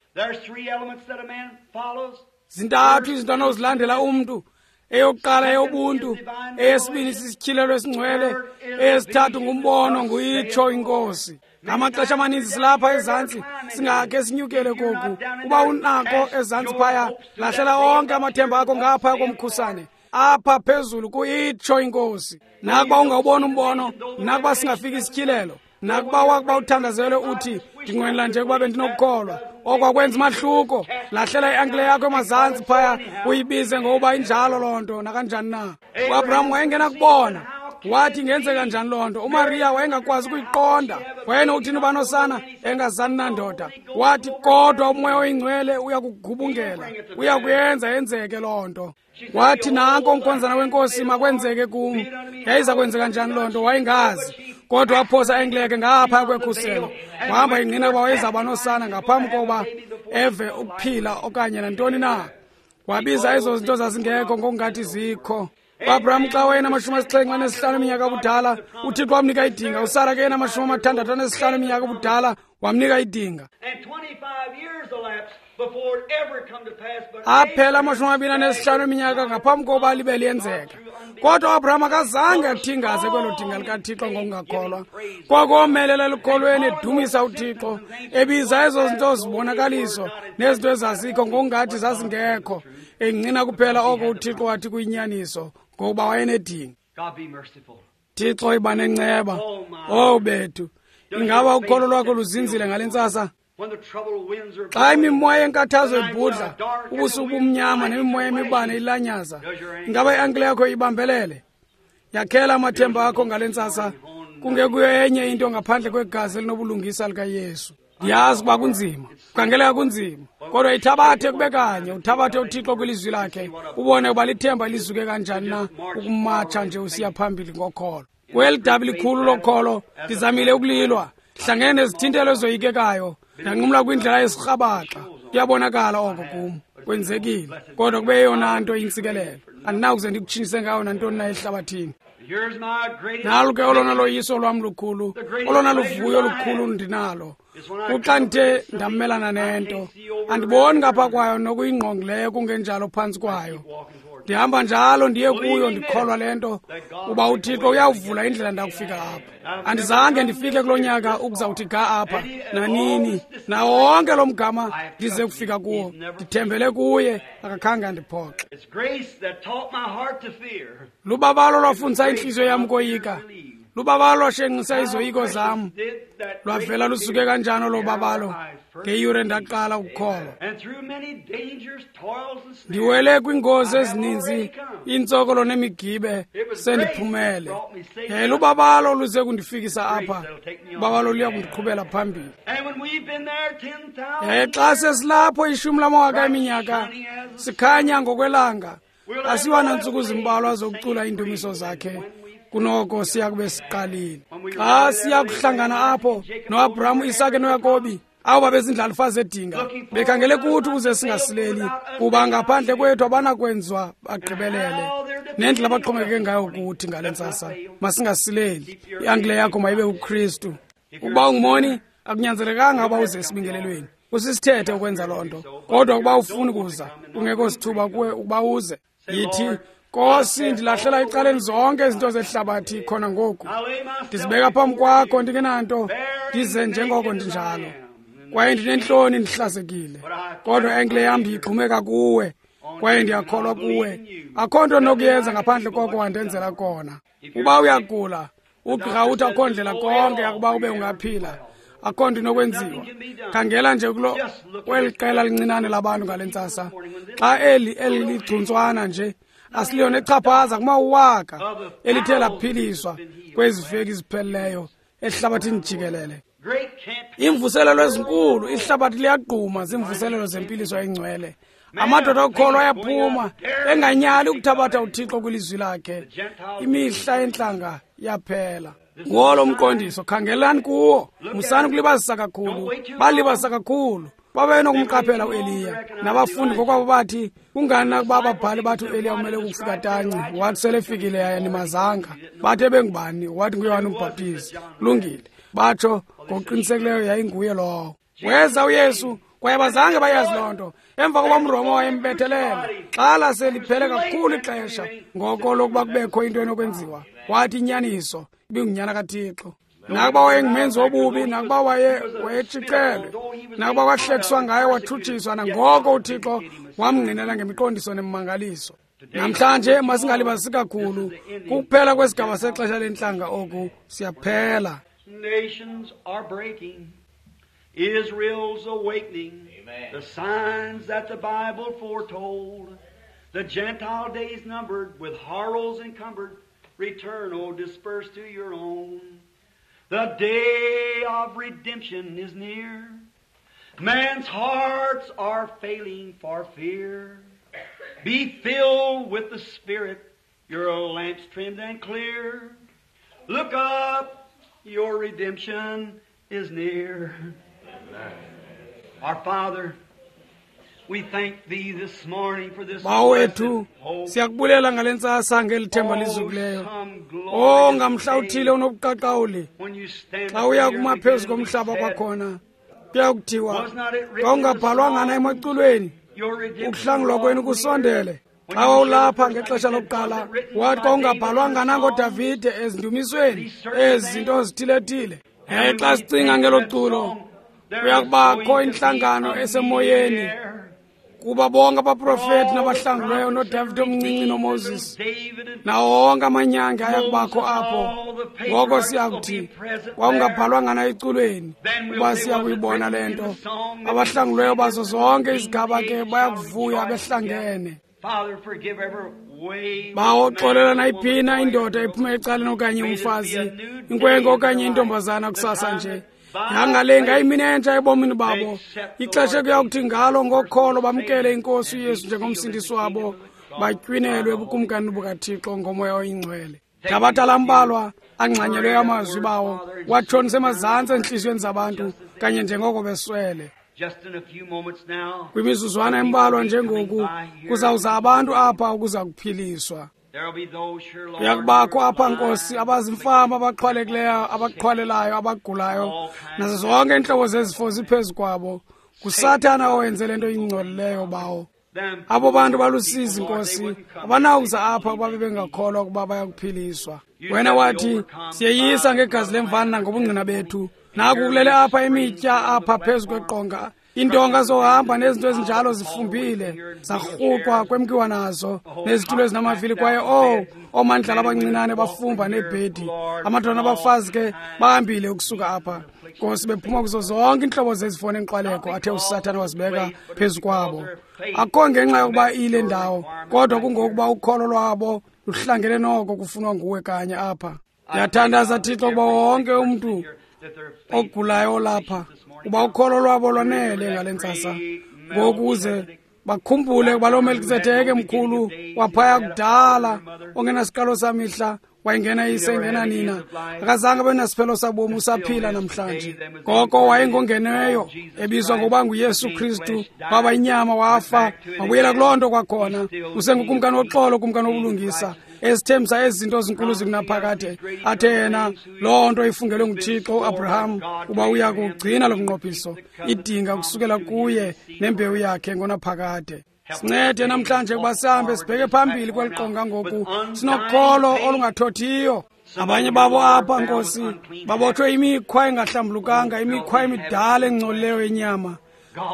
[SPEAKER 1] Zintathu izinto anozilandela umntu. Eyokuqala eyobuntu, eyesibini sisityhilelo esingcwele, eyesithathu ngumbono, nguyitsho inkosi. Ngamaxesha amaninzi silapha ezantsi, singakhe sinyukele koku. Uba unako ezantsi phaya, lahlela onke amathemba akho ngapha komkhusane. Apha phezulu kuyitsho inkosi. Nakuba ungawubona umbono, nakuba singafiki isityhilelo, nakuba wakuba uthandazelwe uthi ndinqwenela nje ukuba bendinokukholwa, okwakwenza umahluko. Lahlela i-ankle yakho emazantsi phaya, uyibize ngokuba injalo loo nto nakanjani na. UAbraham wayengenakubona. Wathi ingenzeka njani loo nto? UMariya wayengakwazi ukuyiqonda. Wayenokuthini uba nosana engazani nandoda? Wathi kodwa uMoya oyiNgcwele uyakugubungela, uyakuyenza yenzeke loo nto. Wathi nanko umkhonzana wenkosi, makwenzeke kum. Yayiza kwenzeka njani loo nto? Wayengazi. Kodwa waphosa engleke ngapha kwekhuselo, wahamba ingqina ukuba wayezawuba nosana ngaphambi kokuba eve ukuphila okanye nantoni na. Wabiza ezo zinto zazingekho ngokungathi zikho. UAbraham xa wayenamashumi asixhenxe anesihlanu eminyaka ubudala, uThixo wamnika idinga. USara ke yenamashumi amathandathu anesihlanu eminyaka ubudala, wamnika idinga. Aphela amashumi amabini anesihlanu eminyaka ngaphambi kokuba libe liyenzeka. Kodwa uAbraham akazange athingaze kwelo dinga likaThixo ngokungakholwa. Kwakomelela elukholweni, edumisa uThixo, ebiza ezo zinto zibonakaliso nezinto ezazikho ngokungathi zazingekho, engqina kuphela oko uThixo wathi kuyinyaniso, ngokuba wayenedinga. Thixo iba nenceba. Oh bethu, ingaba ukholo lwakho luzinzile ngale ntsasa? Xa imimoya yenkathazo ibhudla, ubusuku bumnyama nemimoya emibane ilanyaza, ingaba i-ankle yakho ibambelele? Yakhela amathemba akho ngale ntsasa, kungekuyo enye into ngaphandle kwegazi elinobulungisa likaYesu. Ndiyazi ukuba kunzima, kukhangeleka kunzima, kodwa ithabathe kube kanye, uthabathe uThixo kwilizwi lakhe, ubone ukuba lithemba lizuke kanjani na ukumatsha nje usiya phambili ngokholo. Kweli dabi likhulu lokholo, ndizamile ukulilwa, ndihlangene nezithintelo ezoyikekayo, ndanqumla kwindlela yesirhabaxa. Kuyabonakala oko kum, kwenzekile, kodwa kube yeyona nto intsikelelo. Andinakuze ndikutshintshise ngayo nantoni na ehlabathini. Nalo ke olona loyiso lwam lukhulu, olona luvuyo lukhulu ndinalo, kuxa ndithe ndamelana nento, andiboni ngapha kwayo nokuyingqongileyo kungenjalo phantsi kwayo. Ndihamba njalo ndiye kuyo ndikholwa le nto, uba uThixo uyawuvula indlela ndakufika apha. Andizange ndifike kulo nyaka ukuzawuthi ga apha nanini, nawo wonke lo mgama ndize kufika kuwo, ndithembele kuye, akakhange andiphoxe. Lubabalo lwafundisa intliziyo yam koyika, lubabalo lwashenxisa izoyiko zam. Lwavela lusuke kanjani olo babalo ngeyure ndaqala ukukholwa. Ndiwele kwiingozi ezininzi, iintsokolo nemigibe, sendiphumele. Yaye lubabalo luze kundifikisa apha, ubabalo luya kundiqhubela phambili. Yaye xa sesilapho ishumi lamawaka eminyaka, sikhanya ngokwelanga, asiwa nantsuku zimbalwa zokucula iindumiso zakhe, kunoko siya kube siqalile. Xa siya kuhlangana apho noAbraham, Isake noYakobi, abo babezindlalifa zedinga, bekhangele kuthi ukuze singasileli, kuba ngaphandle kwethu abanakwenziwa bagqibelele. Nendlela abaxhomekeke ngayo kuthi ngale ntsasa, masingasileli. I-ankle yakho mayibe kuKristu. Ukuba ungumoni, akunyanzelekanga uba uze esibingelelweni. Kusisithethe ukwenza loo nto, kodwa ukuba ufuni kuza, kungekho sithuba kuwe ukuba uze, yithi, Nkosi, ndilahlela ecaleni zonke izinto zehlabathi khona ngoku. Ndizibeka phambi kwakho ndingenanto, ndize njengoko ndinjalo. Kwaye ndinentloni ndihlazekile, kodwa i-ankle yam ndiyigxumeka kuwe, kwaye ndiyakholwa kuwe. Akho nto nokuyenza ngaphandle koko wandenzela kona. Uba uyagula, ugqirha uthi akho ndlela konke yakuba ube ungaphila, akho nto inokwenziwa. Khangela nje kulo kweli qela lincinane labantu ngale ntsasa, xa eli eli ligcuntswana nje asiliyona echaphaza kumawaka elithe laphiliswa kwezi veki zipheleleyo ehlabathini jikelele. Iimvuselelo ezinkulu, ihlabathi liyagquma ziimvuselelo zempiliso engcwele. Amadoda okukholwa ayaphuma enganyali ukuthabatha uThixo kwilizwi lakhe. Imihla yentlanga yaphela. Ngolo umqondiso, khangelani kuwo, musani ukulibazisa kakhulu. Balibazisa kakhulu. Babenokumqaphela uEliya. Nabafundi ngokwabo bathi, kungani na ukuba ababhali bathi uEliya umele ukufika tanci? Wathi selefikile yaye animazanga. Bathi ebengubani? Wathi nguYohane uMbhaptizi. Kulungile. Batsho ngokuqinisekileyo yayinguye lowo. Weza uYesu, kwaye abazange bayazi loo nto. Emva koba umRoma wayembethelela, xa laseliphele kakhulu ixesha ngoko lokuba kubekho into enokwenziwa, wathi inyaniso ibingunyana kaThixo. Nakuba wayengumenzi wobubi, nakuba waye wayetshicelwe, nakuba kwahlekiswa ngaye wathutshiswa, nangoko uThixo wamngqinela ngemiqondiso nemimangaliso. Namhlanje masingalibazisi kakhulu, kukuphela kwesigaba sexesha lentlanga oku, siyaphela.
[SPEAKER 2] Nations are breaking, Israel's awakening. Amen. The signs that the Bible foretold, the Gentile days numbered, with horrors encumbered, return, O dispersed to your own. The day of redemption is near. Man's hearts are failing for fear. Be filled with the Spirit, your lamps trimmed and clear. Look up, your redemption is near. Amen. Our Father, we thank Thee this morning for this
[SPEAKER 1] Bawethu, siyakubulela ngale ntsasa ngeli themba lizukileyo. Oh, ngamhla uthile unobuqaqawuli xa uya kuma phezu komhlaba kwakhona, kuyakuthiwa kwawungabhalwanga na emaculweni, ukuhlangulwa kwenu kusondele. Xa wawulapha ngexesha lokuqala, wathi kwawungabhalwanga na ngoDavide ezindumisweni ezi zinto zithile-thile. Yaye xa sicinga ngelo culo, kuyakubakho intlangano esemoyeni, kuba bonke abaprofeti nabahlangulweyo noDavide omncinci noMoses nawo wonke amanyange ayakubakho apho. Ngoko siyakuthi kwawungabhalwanga na eculweni, kuba siyakuyibona le nto. Abahlangulweyo bazo zonke izigaba ke bayakuvuya behlangene. Bawo, xolela nayiphina indoda iphume ecaleni okanye umfazi, inkwenkwe okanye intombazana kusasa nje. Yangale ngayimini entsha ebomini babo, ixesha kuyakuthi ngalo ngokholo bamkele iNkosi uYesu njengomsindisi wabo, batywinelwe ebukumkanini bukaThixo ngoMoya oyiNgcwele. Thabatha lambalwa angxanyelweyo amazwi bawo, watshonise emazantsi entliziyweni zabantu kanye njengoko beswele. Kwimizuzwana embalwa njengoku kuzawuza abantu apha ukuza kuphiliswa. Kuyakubakho apha, Nkosi, abazimfama, abaqhwalekileyo, abaqhwalelayo, abagulayo, nazo zonke iintlobo zezifo ziphezu kwabo. NguSathana owenze le nto ingcolileyo, bawo. Abo bantu balusizi, Nkosi, abanawuza apha kuba bebengakholwa ukuba bayakuphiliswa. Wena wathi, siyeyisa ngegazi lemvana nangobungqina bethu. Naku kulele apha imitya apha phezu kweqonga, iintonga zohamba nezinto ezinjalo zifumbile, zarhuqwa kwemkiwa nazo, nezitulo ezinamavili, kwaye oh, oomandlala abancinane bafumba neebhedi. Amadoda nabafazi ke bahambile ukusuka apha, Nkosi, bephuma kuzo zonke iintlobo zezifo nenkxwaleko athe uSathana wazibeka phezu kwabo. Akukho ngenxa yokuba iyile ndawo, kodwa kungokuba ukholo lwabo luhlangene noko kufunwa nguwe kanye apha. Ndiyathandaza, Thixo, ukuba wonke umntu ogulayo olapha, uba ukholo lwabo lwanele ngale ntsasa, ngokuze bakhumbule ukuba loo Melkisedeke mkhulu waphaya kudala, ongenasiqalo samihla, wayengena yise engena nina, akazange abe nasiphelo sabomi, usaphila namhlanje. Ngoko wayengongeneyo, ebizwa ngokuba nguYesu Kristu, waba inyama, wafa, wabuyela kuloo nto kwakhona. Usengukumkani woxolo, kumkani wobulungisa, esithembisa ezi zinto zinkulu zikunaphakade, athe yena loo nto ifungelwe nguThixo uAbraham uba uya kugcina lo mnqophiso, idinga kusukela kuye nembewu yakhe ngonaphakade. Sincede namhlanje ukuba sihambe sibheke phambili kweli qonga ngoku, sinokholo olungathothiyo. Abanye babo apha, Nkosi, babotshwe imikhwa engahlambulukanga, imikhwa emidala engcolileyo yenyama.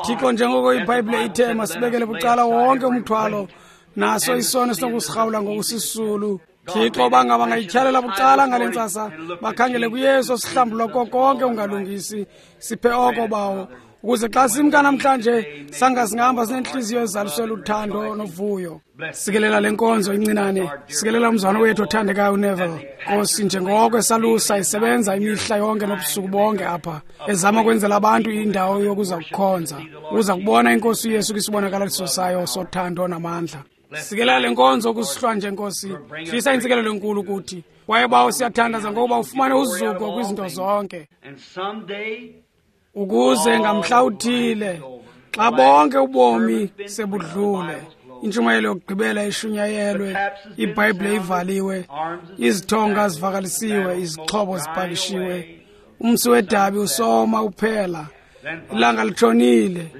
[SPEAKER 1] Thixo, njengoko iBhayibhile ithe masibekele bucala wonke umthwalo, naso isono sinokusirhawula ngokusisulu. Thixo, bangaba bangayityhalela bucala ngale ntsasa, bakhangele kuYesu osihlambulula ko konke ungalungisi. Siphe oko, bawo, ukuze xa simka namhlanje sanga singahamba sinentliziyo ezaliswe luthando novuyo. Sikelela le nkonzo incinane, sikelela umzwana wethu othandekayo uNeville, Nkosi, njengoko esalusa isebenza imihla yonke nobusuku bonke apha, ezama kwenzela abantu indawo yokuza kukhonza, uza kubona iNkosi uYesu kwisibonakaliso sayo sothando namandla. Sikelela le nkonzo kusihlwa nje, Nkosi, hlisa intsikelelo enkulu kuthi. Kwaye bawo, siyathandaza ngokuba ufumane uzuko kwizinto zonke, ukuze ngamhla uthile xa bonke ubomi sebudlule, intshumayelo yokugqibela ishunyayelwe, iBhayibhile ivaliwe, izithonga zivakalisiwe, izixhobo zipakishiwe, umsi wedabi usoma uphela, ilanga litshonile.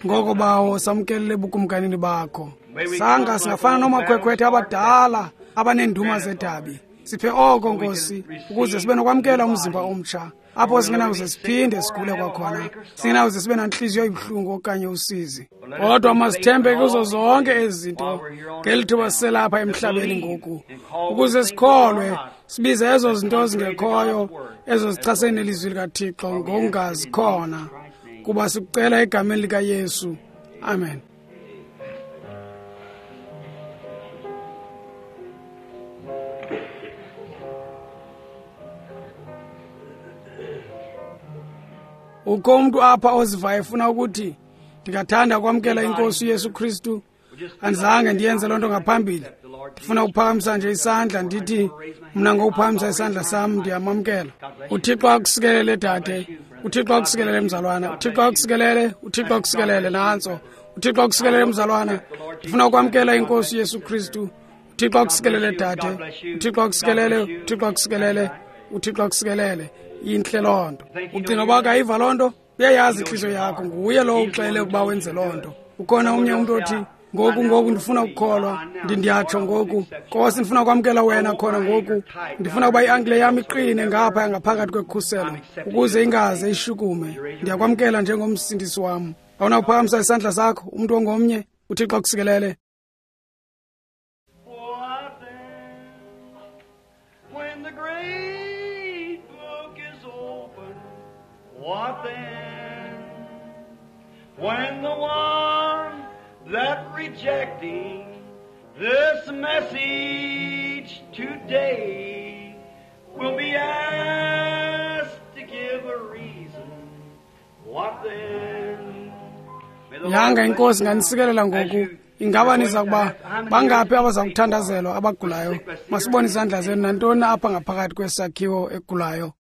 [SPEAKER 1] Ngoko bawo, samkelele ebukumkanini bakho. Sanga singafana noomakhwekhwethe abadala abaneenduma zedabi, Siphe oko, Nkosi, ukuze sibe nokwamkela umzimba omtsha, apho singenakuze siphinde sigule kwakhona, singenakuze sibe nantliziyo ibuhlungu okanye usizi. Kodwa masithembe kuzo zonke ezi zinto ngeli thuba siselapha emhlabeni ngoku, ukuze sikholwe, sibize ezo zinto zingekhoyo, ezo zichasene nelizwi likaThixo ngokungazikhona, kuba sikucela egameni likaYesu. Amen. Ukho umntu apha ozivayo efuna ukuthi, ndingathanda ukwamkela iNkosi uYesu Kristu, andizange ndiyenze loo nto ngaphambili. Ndifuna ukuphakamisa nje isandla, ndithi mna ngokuphakamisa isandla sam ndiyamamkela. UThixo akusikelele, dade. UThixo akusikelele, mzalwana. UThixo akusikelele, uThixo akusikelele, nantso. UThixo akusikelele, mzalwana. Ndifuna ukwamkela iNkosi uYesu Kristu. UThixo akusikelele, dade. UThixo akusikelele, uThixo akusikelele, uThixo akusikelele. Intle loo nto. Ucinga uba akayiva loo nto? Uyayazi intliziyo yakho, nguye lowo uxele ukuba wenze loo nto. Ukhona omnye umntu othi, ngoku ngoku ndifuna ukukholwa, ndiyatsho ngoku, Nkosi, ndifuna ukwamkela wena khona ngoku. Ndifuna ukuba i-ankile yam iqine ngapha ngaphakathi kwekhuselo, ukuze ingaze ishukume. Ndiyakwamkela njengomsindisi wam. Awunakuphakamisa isandla sakho, umntu ongomnye? UThixo akusikelele.
[SPEAKER 2] What then, when the one that rejecting this message today will be asked to give a reason? What then?
[SPEAKER 1] Yanga inkosi nganisikelela ngoku. Ingaba niza kuba bangaphi abaza kuthandazelwa abagulayo? Masibone izandla zenu nantoni apha ngaphakathi kwesakhiwo egulayo.